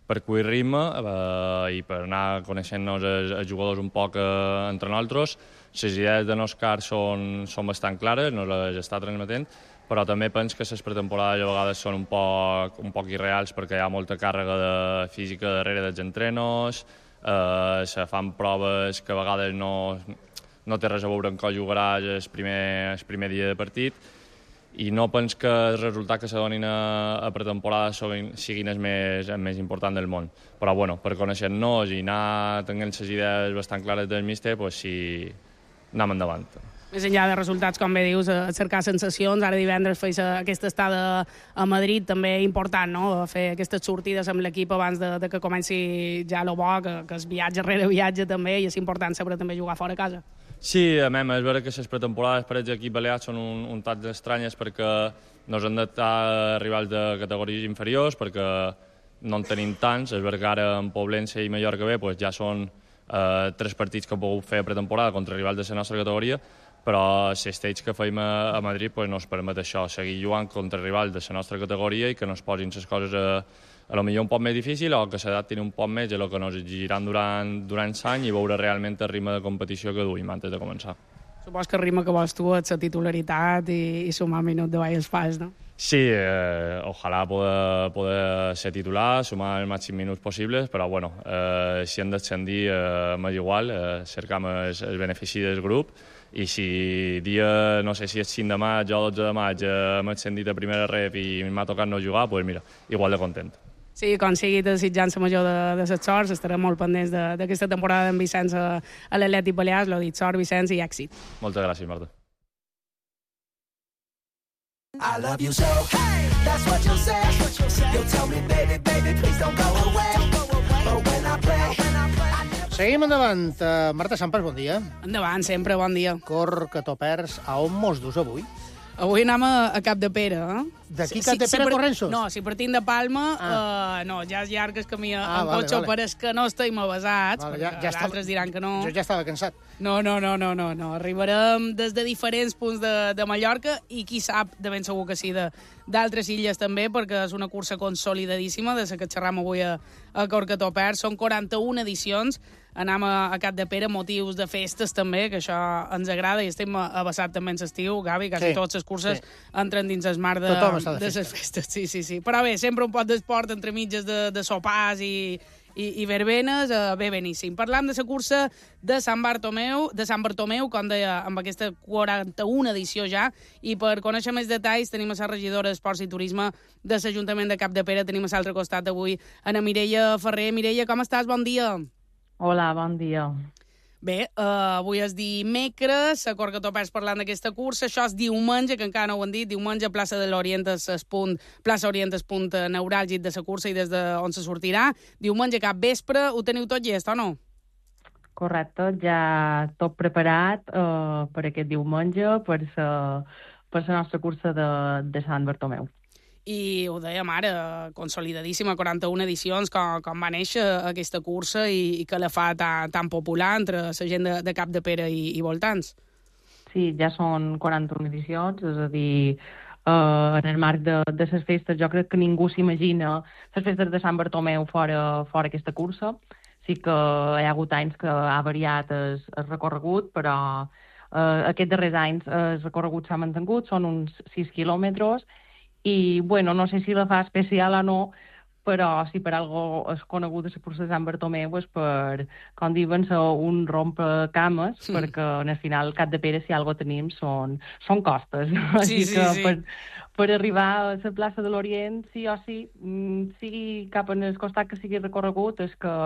per cuir ritme eh, i per anar coneixent-nos els, els jugadors un poc eh, entre nosaltres. Les idees de Òscar són, són bastant clares, nos les està transmetent, però també penso que les pretemporades a vegades són un poc, un poc irreals perquè hi ha molta càrrega de física darrere dels entrenos, eh, se fan proves que a vegades no, no té res a veure amb com jugaràs el primer, el primer dia de partit i no penso que el resultat que se donin a, a pretemporada siguin, siguin el més, el més important del món. Però bueno, per conèixer-nos i anar tenint les idees bastant clares del míster, pues sí, anem endavant. Més enllà de resultats, com bé dius, a cercar sensacions. Ara divendres feis aquesta estada a Madrid, també important, no?, fer aquestes sortides amb l'equip abans de, de que comenci ja el bo, que, que es viatge rere viatge també, i és important sempre també jugar fora a casa. Sí, a més, és vera que les pretemporades per als equips balears són un, un tant estranyes perquè no han d'estar rivals de categories inferiors, perquè no en tenim tants. És vera que ara en Poblense i Mallorca B pues, ja són eh, tres partits que hem pogut fer a pretemporada contra rivals de la nostra categoria, però l'estage que feim a, a Madrid pues, no ens permet això, seguir jugant contra rivals de la nostra categoria i que no es posin les coses a, a lo millor un poc més difícil o que s'adaptin un poc més a el que ens exigiran durant, durant l'any i veure realment el ritme de competició que duim antes de començar. Supos que el ritme que vols tu és la titularitat i, i sumar minut de baix fas, no? Sí, eh, ojalà poder, poder ser titular, sumar els màxims minuts possibles, però bueno, eh, si hem d'ascendir eh, m'és igual, eh, cercam el, el benefici del grup i si dia, no sé si és cinc de maig o dotze de maig eh, m'he ascendit a primera ref i m'ha tocat no jugar, doncs pues mira, igual de content. Sí, com sigui desitjant la major de, de les sorts, estarem molt pendents d'aquesta temporada d'en Vicenç a, a l'Atlètic Balears. L'ho dit, sort, Vicenç, i èxit. Moltes gràcies, Marta. I love you so, hey, that's what you'll say. You'll tell me, baby, baby, please don't go away. But when I play, Seguim endavant. Uh, Marta Sampras, bon dia. Endavant, sempre, bon dia. Cor que t'ho perds. A on mos dus avui? Avui anem a, a Cap de Pere, eh? D'aquí Cap de Pere a Corrensos? No, si partim de Palma, ah. uh, no, ja és llarg el camí ah, en vale, cotxe, vale. però és que no estem avasats, vale, perquè ja, ja d'altres diran que no. Jo ja estava cansat. No, no, no, no, no, no. Arribarem des de diferents punts de, de Mallorca i qui sap, de ben segur que sí, d'altres illes també, perquè és una cursa consolidadíssima, de la que xerram avui a, a Cor que t'ho perds. Són quaranta-una edicions. anam a, a Capdepera, motius de festes també, que això ens agrada, i estem abassat també en l'estiu, Gavi, quasi sí, totes les curses sí. entren dins el mar de, de, de les festes. Sí, sí, sí. Però bé, sempre un pot d'esport entre mitges de, de sopars i, i, i verbenes, uh, bé, beníssim. Parlam de la cursa de Sant Bartomeu, de Sant Bartomeu, com deia, amb aquesta quaranta-una edició ja, i per conèixer més detalls tenim a la regidora d'Esports i Turisme de l'Ajuntament de Capdepera, tenim a l'altre costat avui Ana Mireia Ferrer. Mireia, com estàs? Bon dia. Hola, bon dia. Bé, uh, avui és dimecres, a Cor que topers parlant d'aquesta cursa, això és diumenge, que encara no ho han dit, diumenge, plaça de l'Orient, es punt, plaça Orient, es punt neuràlgic de la cursa i des d'on se sortirà. Diumenge cap vespre, ho teniu tot llest, o no? Correcte, ja tot preparat uh, per aquest diumenge, per la per la nostra cursa de, de Sant Bartomeu. I ho dèiem ara, consolidadíssima, quaranta-una edicions, com, com va néixer aquesta cursa i, i que la fa tan, tan popular entre la gent de, de Capdepera i, i voltants. Sí, ja són quaranta-una edicions, és a dir, uh, en el marc de, de les festes, jo crec que ningú s'imagina les festes de Sant Bartomeu fora, fora aquesta cursa. Sí que hi ha hagut anys que ha variat el, el recorregut, però uh, aquests darrers anys el recorregut s'ha mantingut, són uns sis quilòmetres, i, bueno, no sé si la fa especial o no, però si per algo és conegut de la cursa de Sant Bartomeu és per, com diuen, un rompecames, sí. Perquè en el final Capdepera, si algo tenim, són, són costes. Sí, Així sí, que sí. Per, per arribar a la plaça de l'Orient, sí o sí, sigui cap en el costat que sigui recorregut, és que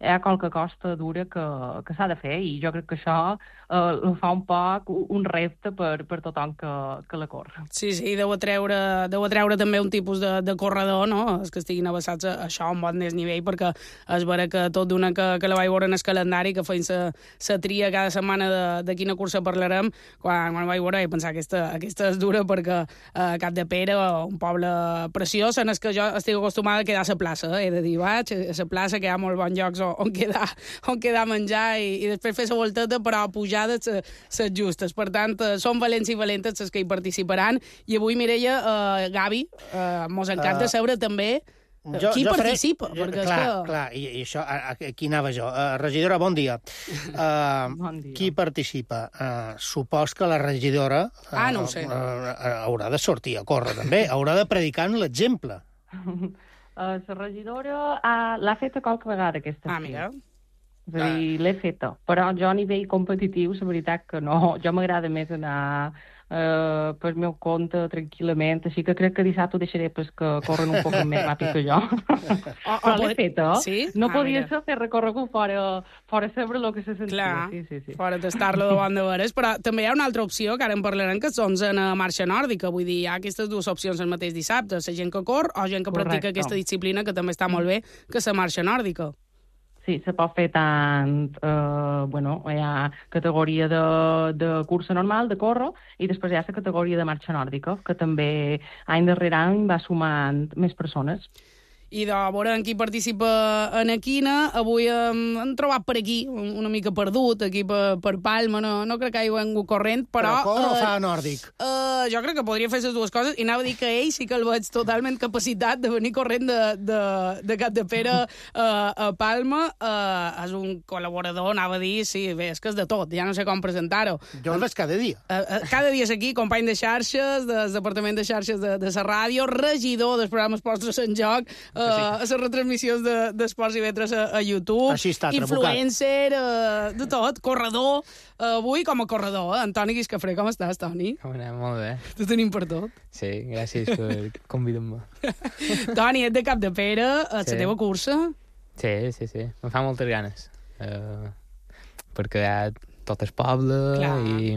hi ha qualque costa dura que, que s'ha de fer, i jo crec que això eh, ho fa un poc un repte per, per tothom que, que la corre. Sí, sí, deu atreure, deu atreure també un tipus de, de corredor, no?, els que estiguin abassats a això a un bon desnivell, perquè és vera que tot d'una que, que la vaig veure en el calendari, que feien la tria cada setmana de, de quina cursa parlarem, quan, quan vaig veure vaig pensar que aquesta, aquesta és dura, perquè eh, Capdepera, un poble preciós, en el que jo estic acostumada a quedar a la plaça, eh? He de dir, vaig a la plaça, que hi ha molt bons llocs on quedar, on quedar a menjar i, i després fer la volteta, però pujades les justes. Per tant, són valents i valentes les que hi participaran. I avui, Mireia, uh, Gavi, uh, mos encanta uh, saber també jo, qui jo participa. Faré, perquè clar, és que... clar, i, i això, aquí anava jo. Uh, regidora, bon dia. Uh, bon dia. Qui participa? Uh, supos que la regidora uh, ah, no ho sé. uh, haurà de sortir a córrer, també. Haurà de predicar en l'exemple. Uh, la regidora uh, l'ha feta qualque vegada, aquesta. Ah, mira. És a dir, l'he feta. Però jo a nivell competitiu, la veritat que no. Jo m'agrada més anar uh, pel meu compte, tranquil·lament, així que crec que dissabte ho deixaré pues, que corren un poc més ràpid que jo. Oh, Però l'he feta. Sí? No ah, podia mira. ser fer recorregut fora, fora saber el que se sentia. Clar, sí, sí, sí. fora tastar-lo davant de veres. Però també hi ha una altra opció, que ara en parlarem, que són en marxa nòrdica. Vull dir, hi ha aquestes dues opcions el mateix dissabte, la gent que cor o gent que Correcte. practica aquesta disciplina, que també està molt bé, que la marxa nòrdica. Sí, se pot fer tant, eh, bueno, hi ha categoria de, de cursa normal, de córrer, i després hi ha la categoria de marxa nòrdica, que també any darrere any va sumant més persones. I de veure en qui participa en Equina. Avui hem, hem trobat per aquí, una mica perdut, aquí per, per Palma, no, no crec que hi vengut corrent, però... Però corre o uh, fa nòrdic? Uh, jo crec que podria fer les dues coses, i anava a dir que ell sí que el veig totalment capacitat de venir corrent de, de, de Capdepera uh, a Palma. Uh, és un col·laborador, anava a dir, sí, bé, és que és de tot, ja no sé com presentar-ho. Jo el veig cada dia. Uh, uh, cada dia és aquí, company de xarxes, del Departament de Xarxes de, de la ràdio, regidor dels programes Postres en Joc, uh, sí. a les retransmissions d'Esports de, i Vetres a, a YouTube, així està, influencer, uh, de tot, corredor, uh, avui com a corredor, eh? Antoni Guiscafré, com estàs, Toni? Com anem? Molt bé. Te tenim per tot. Sí, gràcies per convidar-me. Toni, ets de Capdepera, a sí. la teva cursa? Sí, sí, sí, em fa moltes ganes, uh, perquè hi ha tot el poble Clar. i,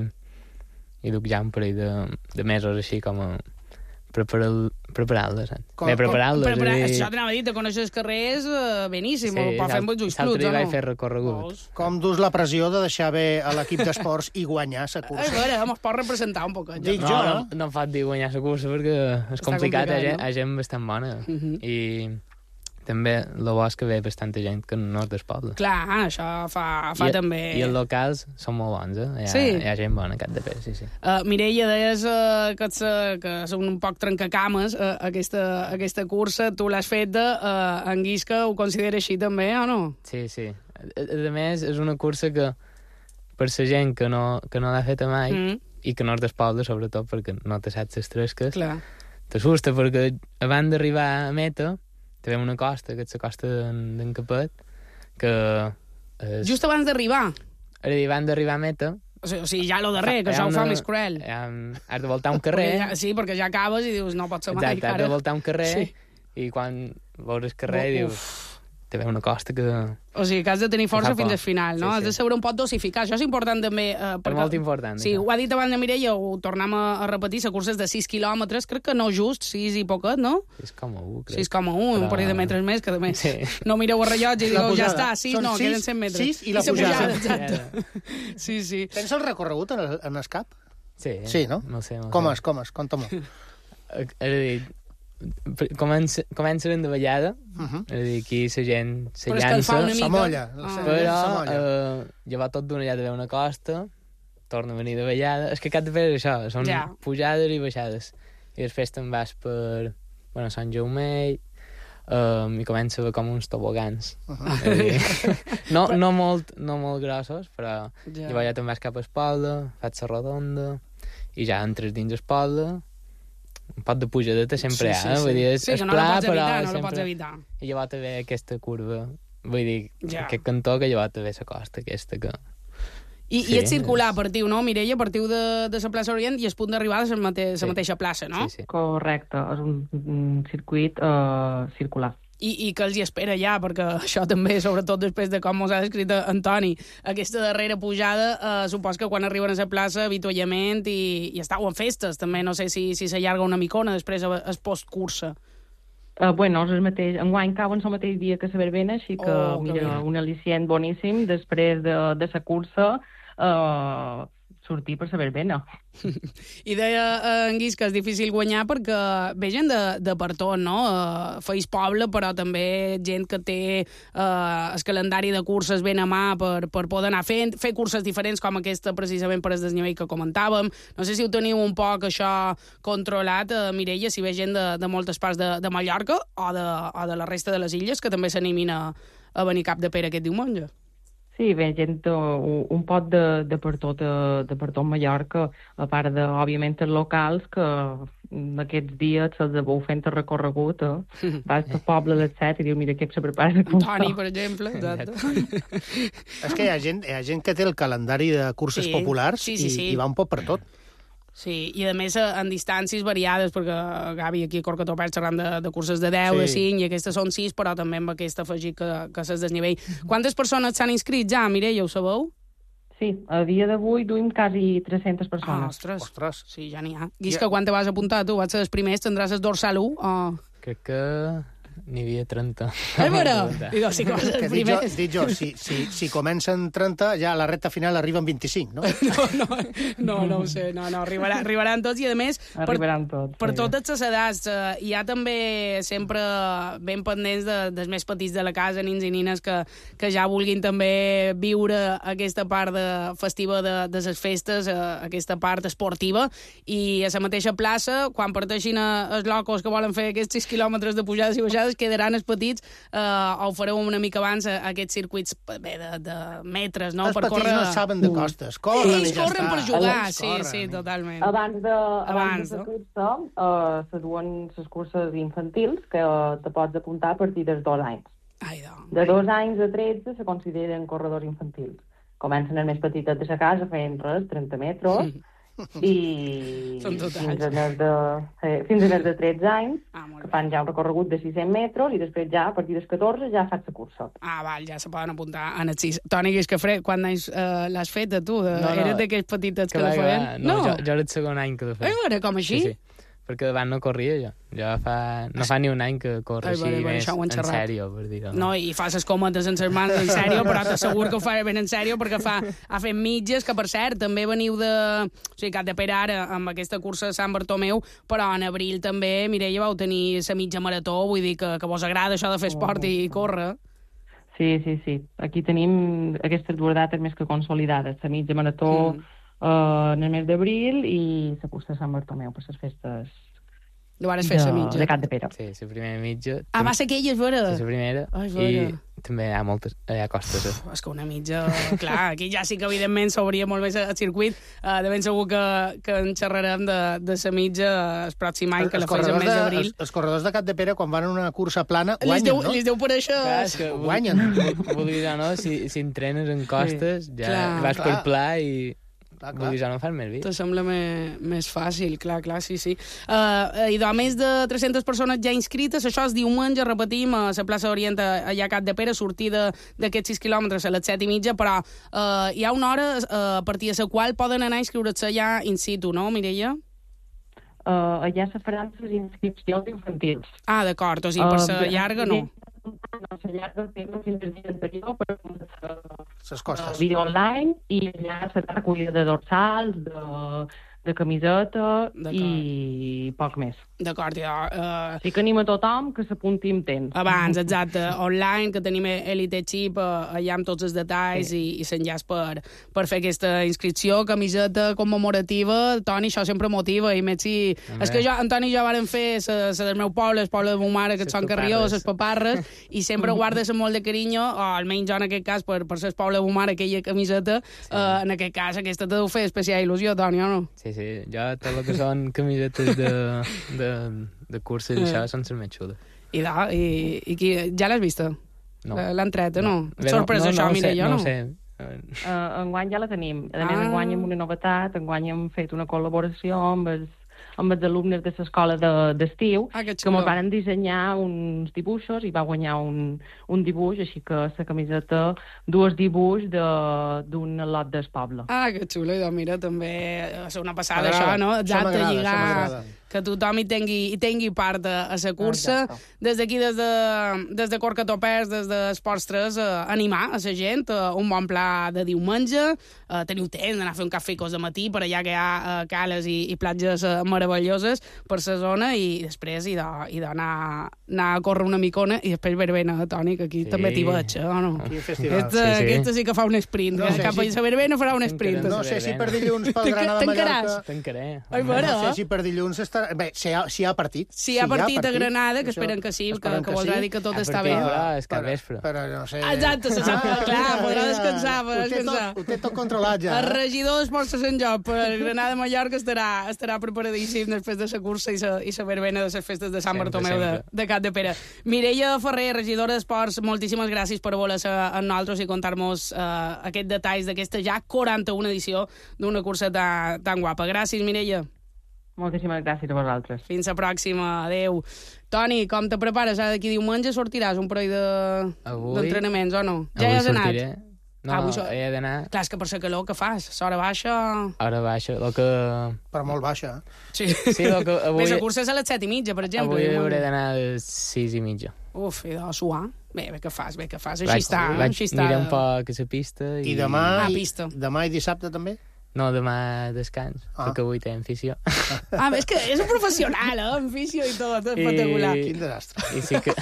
i duc ja un parell de, de mesos així com a preparar-les, preparar-les. Bé, preparar-les. Preparar, i... Això t'anava a dir, te coneixes els carrers, uh, beníssim, sí, pot fer amb els ulls cluts, l'altre dia o no? vaig fer recorregut. Com dus la pressió de deixar bé a l'equip d'esports i guanyar la cursa? A veure, mos pot representar un poc. Dic no, jo, no, no em fa dir guanyar la cursa perquè és Està complicat, hi no? ha gent bastant bona. Uh -huh. I també el bo és que ve bastanta gent que no és del poble. Clar, això fa, fa I, també... I els locals són molt bons, eh? Hi ha, sí. hi ha gent bona a Capdepera, sí, sí. Uh, Mireia, deies uh, que, ets, uh, que són un poc trencacames uh, aquesta, aquesta cursa. Tu l'has fet de, uh, en Guisca, ho considera així també, o no? Sí, sí. A, a més, és una cursa que per la gent que no, que no l'ha feta mai mm. i que no és del poble, sobretot perquè no te saps les tresques, t'assusta perquè abans d'arribar a meta te ve una costa, que és la costa d'en Capet, que... És... Just abans d'arribar? Abans d'arribar a meta... O sigui, o sigui ja lo darrer, que això ho fa més cruel. Has de voltar un carrer... Ja, sí, perquè ja acabes i dius, no pot ser mai. Exacte, has de voltar un carrer sí. i quan veus el carrer Uf. dius... Te ve una costa que... O sigui, que has de tenir força fins al final, no? Sí, sí. Has de saber un pot dosificar. Això és important també. Eh, perquè, és molt important. Sí, això. Ho ha dit abans de Mireia, ho tornem a, a repetir, la cursa és de sis quilòmetres, crec que no just, sis i poquet, no? sis coma u, crec. sis coma u, Però... un parell de metres més, que a més sí. no mireu el rellotge i digueu, ja està, sis, Són no, sis, queden cent metres. sis i la I pujada. pujada exacte. sí, sí. Tens el recorregut en, el, en el cap? Sí. Sí, no? No sé, no com sé. és, com és? Conta-m'ho. És a dir, Comença, començaren de ballada, uh -huh. és a dir, aquí la gent se llança, s'amolla, ah. però eh, llavors tot d'una ja de una costa, torna a venir de ballada, és que cap de fer això, són ja. pujades i baixades, i després te'n vas per, bueno, Sant Jaume, um, i comença a haver com uns tobogans, uh -huh. dir, no, no, molt, no molt grossos, però ja. llavors ja te'n vas cap a Espalda, fas la rodonda, i ja entres dins Espalda, un pot de pujadeta sempre sí, sí, hi ha, sí. vull dir, és, sí, és no pla, no però evitar, no sempre... pots evitar. I llavors te ve aquesta curva, vull dir, ja. aquest cantó que llavors te ve la costa aquesta que... I, sí, i és circular, és... partiu, no, Mireia? Partiu de, de la plaça Orient i es punt d'arribar de la mate sí. mateixa plaça, no? Sí, sí. Correcte, és un, un circuit uh, circular. I, i que els hi espera ja, perquè això també, sobretot després de com mos ha descrit Antoni, aquesta darrera pujada, eh, supos que quan arriben a la plaça, avituallament i, i estàu en festes, també, no sé si, si s'allarga una micona després es postcursa. Uh, bueno, és el mateix, enguany cauen el mateix dia que la verbena, així que, oh, mira, que un al·licient boníssim després de, de la cursa, uh, sortir per la verbena. I deia eh, en Guis que és difícil guanyar perquè ve gent de, de per tot, no? Eh, feis poble, però també gent que té eh, el calendari de curses ben a mà per, per poder anar fent, fer curses diferents com aquesta precisament per el desnivell que comentàvem. No sé si ho teniu un poc això controlat, eh, Mireia, si ve gent de, de moltes parts de, de Mallorca o de, o de la resta de les illes que també s'animin a, a venir Cap de Pere aquest diumenge. Sí, ve gent, uh, un pot de, de per tot, uh, de per tot Mallorca, a part de, òbviament, els locals, que aquests dies se'ls veu fent el recorregut, eh? Vas pel poble a les set i diu, mira, què se prepara de cursa. Toni, per exemple, exacte. És que hi ha, gent, hi ha gent que té el calendari de curses sí, populars sí, sí, i, sí. i va un poc per tot. Sí, i a més en distàncies variades, perquè Gavi aquí a Corcatopers xerrant de, de curses de deu, sí. de cinc, i aquestes són sis, però també amb aquesta afegit que, que s'es desnivell. Quantes persones s'han inscrit ja, Mireia, ho sabeu? Sí, a dia d'avui duim quasi tres-centes persones. Ah, ostres. ostres. Sí, ja n'hi ha. Guisca, ja. Quan te vas apuntar tu? Vas ser els primers? Tindràs el dorsal u? O... Crec que n'hi havia trenta. És vera? Digo, si vas els primers. Dic jo, si, si, si comencen trenta, ja a la recta final arriben vint-i-cinc, no? No, no, no, no ho sé. No, no, arribarà, arribaran tots i, a més, arribaran per, tots, per sí. totes les edats. Eh, hi ha també sempre ben pendents de, dels més petits de la casa, nins i nines, que, que ja vulguin també viure aquesta part de, festiva de, de les festes, eh, aquesta part esportiva, i a la mateixa plaça, quan parteixin els locos que volen fer aquests sis quilòmetres de pujades i baixades, quedaran els petits, eh, o fareu una mica abans a aquests circuits bé, de, de metres, no? Els per petits córrer... no saben de costes, corren Ells i ja corren està. per jugar, Ells sí, corren. sí, totalment. Abans de, abans abans, de no? la cursa, uh, se duen les curses infantils, que uh, te pots apuntar a partir dels dos anys. Ai, doncs. De dos anys a tretze se consideren corredors infantils. Comencen els més petitet de la casa fent res, trenta metres, sí. i Són tot fins a més de, eh, fins a més de tretze anys, ah, que fan ja un recorregut de sis-cents metres, i després ja, a partir dels catorze, ja fas la cursa. Ah, val, ja se poden apuntar en els sis. Toni Guiscafré, quan anys uh, l'has fet, tu? De, no, no, eres d'aquells petitets que, que la feien? No, no. Jo, jo era el segon any que la feia. Ai, veure, com així? Sí, sí. Perquè davant no corria jo. Jo fa, no fa ni un any que corre així més en sèrio, per dir-ho. No, i fa les cometes en les mans en sèrio, però t'asseguro que ho fa ben en sèrio, perquè fa, ha fet mitges, que per cert, també veniu de... O sigui, Cap de Pere ara, amb aquesta cursa de Sant Bartomeu, però en abril també, Mireia, vau tenir la mitja marató, vull dir que, que vos agrada això de fer esport oh. i córrer. Sí, sí, sí. Aquí tenim aquestes dues dates més que consolidades. La mitja marató... Mm. Uh, en el mes d'abril i la cursa de Sant Bartomeu per les festes de, fer de, de Cap de Pere. Sí, la primera mitja. Ah, va ser aquella, és vera. Sí, la primera. Ai, I, també hi ha moltes, hi ha costes. Eh? És que una mitja... Clar, aquí ja sí que evidentment s'obria molt més el circuit. Uh, de ben segur que, que en xerrarem de, de la mitja el pròxim any, que la fes el mes d'abril. Els, els corredors de Capdepera, quan van en una cursa plana, guanyen, deu, no? Li deu per això... Clar, és que guanyen. Vulguis o no, si, si entrenes en costes, ja clar, vas clar. per pla i... Clar, clar. Vulguis o no, fas més bé. Te sembla més, més fàcil, clar, clar, sí, sí. Uh, I de més de tres-centes persones ja inscrites, això és diumenge, repetim, a la plaça Orient, allà a Capdepera, sortida d'aquests sis quilòmetres a les set i mitja, però uh, hi ha una hora uh, a partir de la qual poden anar a inscriure-se ja in situ, no, Mireia? Uh, allà se faran les inscripcions infantils. Ah, d'acord, o sigui, per la uh, llarga no. No, la llarga tenen fins al dia anterior per les costes. Vídeo online i allà serà recollida de dorsals, de, de camiseta i poc més. D'acord, ja... Uh... Sí que anim a tothom que s'apunti amb temps. Abans, exacte, online, que tenim Elite Chip, uh, allà amb tots els detalls sí. i, i s'enllaç per, per fer aquesta inscripció, camiseta commemorativa. Toni, això sempre motiva, i més si... Home. És que jo, en Toni i jo vàrem fer la del meu poble, el poble de ma mare, que et són Carrió, les paparres, i sempre guardes amb molt de carinyo, o almenys jo en aquest cas, per, per ser el poble de ma mare, aquella camiseta, sí. uh, en aquest cas, aquesta te deu fer especial il·lusió, Toni, o no? Sí, sí, jo tot el que són camisetes de... de de curses i això són les més xules. I, da, i, i qui, ja l'has vista? No. L'han tret, no? no. Sorpresa, no, no, això, no, Mireia, no? No sé. Uh, enguany ja la tenim. A més, ah. enguany amb una novetat, enguany hem fet una col·laboració amb els, amb els alumnes de l'escola d'estiu, ah, que, que ens van dissenyar uns dibuixos i va guanyar un, un dibuix, així que la camiseta, dos dibuix d'un lot del poble. Ah, que xulo, i doncs mira, també és una passada això, no? Exacte, lligar... que tothom hi tingui, hi tingui part a, a la cursa. Des d'aquí, des de, des de Corcatopers, des d'Esports tres, eh, animar a la gent, eh, un bon pla de diumenge, eh, teniu temps d'anar a fer un cafè de matí, per allà que hi ha eh, cales i, i platges eh, meravelloses per la zona, i després hi d'anar anar a córrer una micona, i després verbena, Toni, que aquí sí. també t'hi veig, eh, o no? Aquesta, sí, sí. aquesta sí que fa un sprint, no, cap a la verbena farà un sprint. No sé si per dilluns pel Granada Mallorca... T'encaré. Ai, bueno. No sé si per dilluns està... Bé, si hi ha, si hi ha partit. Si hi ha partit a Granada, que esperen que sí, que, que voldrà dir que tot està bé. Però és que vespre. Però no sé... Exacte, se sap, clar, podrà descansar, podrà descansar. Ho té tot controlat ja. El regidor d'Esports de Sant Joc per Granada-Mallorca estarà, estarà preparadíssim després de la cursa i la, i la verbena de les festes de Sant Bartomeu de, de Capdepera. Mireia Ferrer, regidora d'Esports, moltíssimes gràcies per voler-se amb nosaltres i contar-nos uh, aquests detalls d'aquesta ja quaranta-una edició d'una cursa tan, tan guapa. Gràcies, Mireia. Moltíssimes gràcies a vosaltres. Fins la pròxima. Adéu. Toni, com te prepares? Ara d'aquí diumenge sortiràs un parell d'entrenaments, de... o no? Ja hi has anat? Sortiré. No, ah, no, he d'anar... Clar, és que per la calor que fas, l'hora baixa... Hora baixa, el que... Però molt baixa, eh? Sí. Sí, el que avui... Més la cursa és a les set i mitja, per exemple. Avui hauré d'anar a les sis i mitja. Uf, i de suar. Bé, bé que fas, bé que fas. Així està, vaig així està. Mirar un poc a la pista i... I demà, ah, pista. demà i dissabte també? No, demà descans, ah. perquè avui tenim fissió. Ah, és que és un professional, eh? Amb fissió i tot, espectacular. I... Quin desastre. I sí que...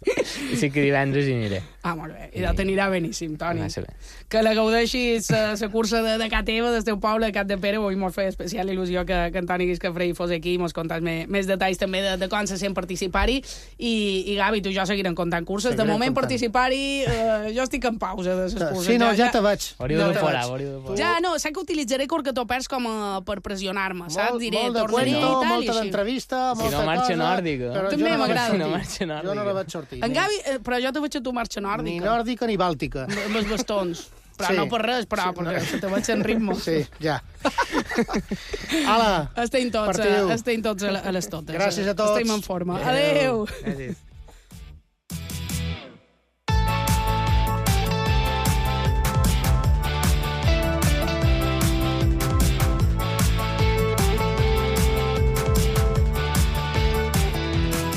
I sí que divendres hi aniré. Ah, molt bé. I t'anirà beníssim, Toni. Ah, que la gaudeixis la cursa de, de ca teva, del teu poble, de Capdepera. Avui m'ho feia especial il·lusió que, que en Toni Guiscafrei fos aquí i mos contàs més, més detalls també de, de com se sent participar-hi. I, I Gavi, tu i jo seguirem comptant curses. Seguirem de moment comptant. Participar-hi, eh, jo estic en pausa de les curses. Sí, no, ja, ja te veig. Hauríeu de fora, hauríeu de fora. Ja, no, sé que utilitzaré Corcatopers com a, per pressionar-me, saps? Diré, molt de tornaré cuento, i tal, molta d'entrevista, molta cosa... Si no marxa nòrdica. També m'agrada. Si no marxa nòrdica. Jo no la vaig sortir. En Gavi, però jo te veig a tu marxa nòrdica. Ni nòrdica ni bàltica. Amb els bastons. Però sí. No per res, però sí, perquè no. Te veig en ritme. Sí, ja. Ala, estem tots, partiu. Estem tots a les totes. Gràcies a tots. Estem en forma. Adéu. Gràcies.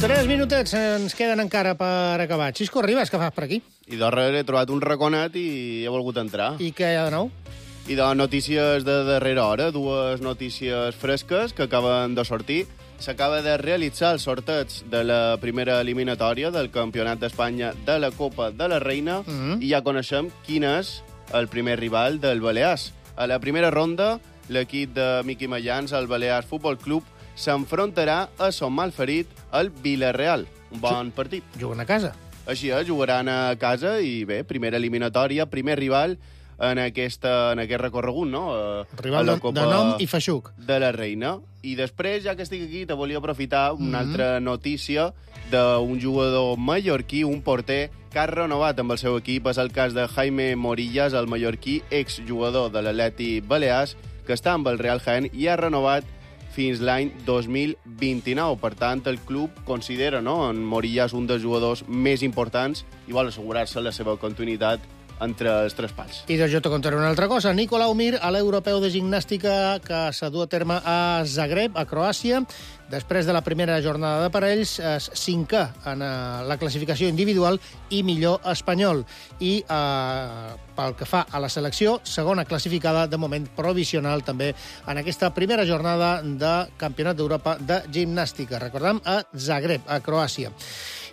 Tres minutets ens queden encara per acabar. Xisco Ribas, què fas per aquí? I darrere he trobat un raconet i he volgut entrar. I què hi ha de nou? I de notícies de darrera hora, dues notícies fresques que acaben de sortir. S'acaba de realitzar el sorteig de la primera eliminatòria del Campionat d'Espanya de la Copa de la Reina mm -hmm. i ja coneixem quin és el primer rival del Balears. A la primera ronda, l'equip de Miqui Mayans, el Balears Futbol Club, s'enfrontarà a son malferit, el Villarreal. Un bon partit. Juguen a casa. Així és, jugaran a casa i bé, primera eliminatòria, primer rival en, aquesta, en aquest recorregut, no? Rival de, de nom i feixuc. De la Reina. I després, ja que estic aquí, te volia aprofitar una mm-hmm. altra notícia d'un jugador mallorquí, un porter, que ha renovat amb el seu equip. És el cas de Jaime Morillas, el mallorquí, exjugador de l'Atleti Balears, que està amb el Real Jaén i ha renovat fins l'any dos mil vint-i-nou. Per tant, el club considera, no, en Morillas un dels jugadors més importants i vol assegurar-se la seva continuïtat entre els tres pals. I doncs jo te contaré una altra cosa. Nicolau Mir, a l'europeu de gimnàstica que s'ha dut a terme a Zagreb, a Croàcia, després de la primera jornada de parells, és cinquè en la classificació individual i millor espanyol. I eh, pel que fa a la selecció, segona classificada, de moment provisional també, en aquesta primera jornada de Campionat d'Europa de gimnàstica. Recordem, a Zagreb, a Croàcia.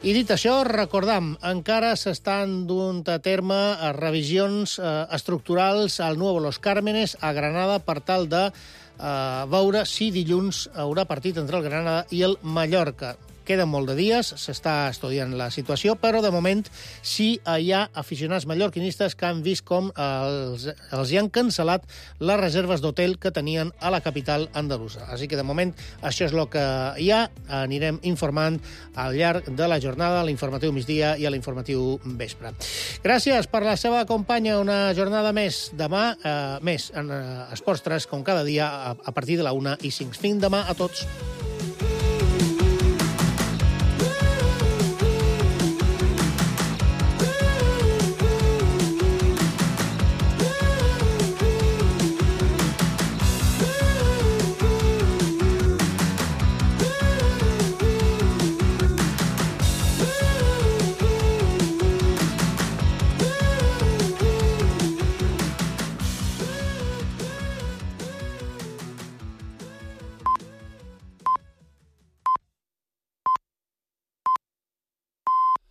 I dit això, recordam, encara s'estan duent a terme revisions eh, estructurals al Nuevo Los Cármenes, a Granada, per tal de eh, veure si dilluns haurà partit entre el Granada i el Mallorca. Queden molt de dies, s'està estudiant la situació, però de moment sí hi ha aficionats mallorquinistes que han vist com els, els hi han cancel·lat les reserves d'hotel que tenien a la capital andalusa. Així que de moment això és el que hi ha. Anirem informant al llarg de la jornada, a l'informatiu migdia i a l'informatiu vespre. Gràcies per la seva companya. Una jornada més demà, eh, més en eh, Esports tres, com cada dia, a, a partir de la una i cinc. Fins demà a tots.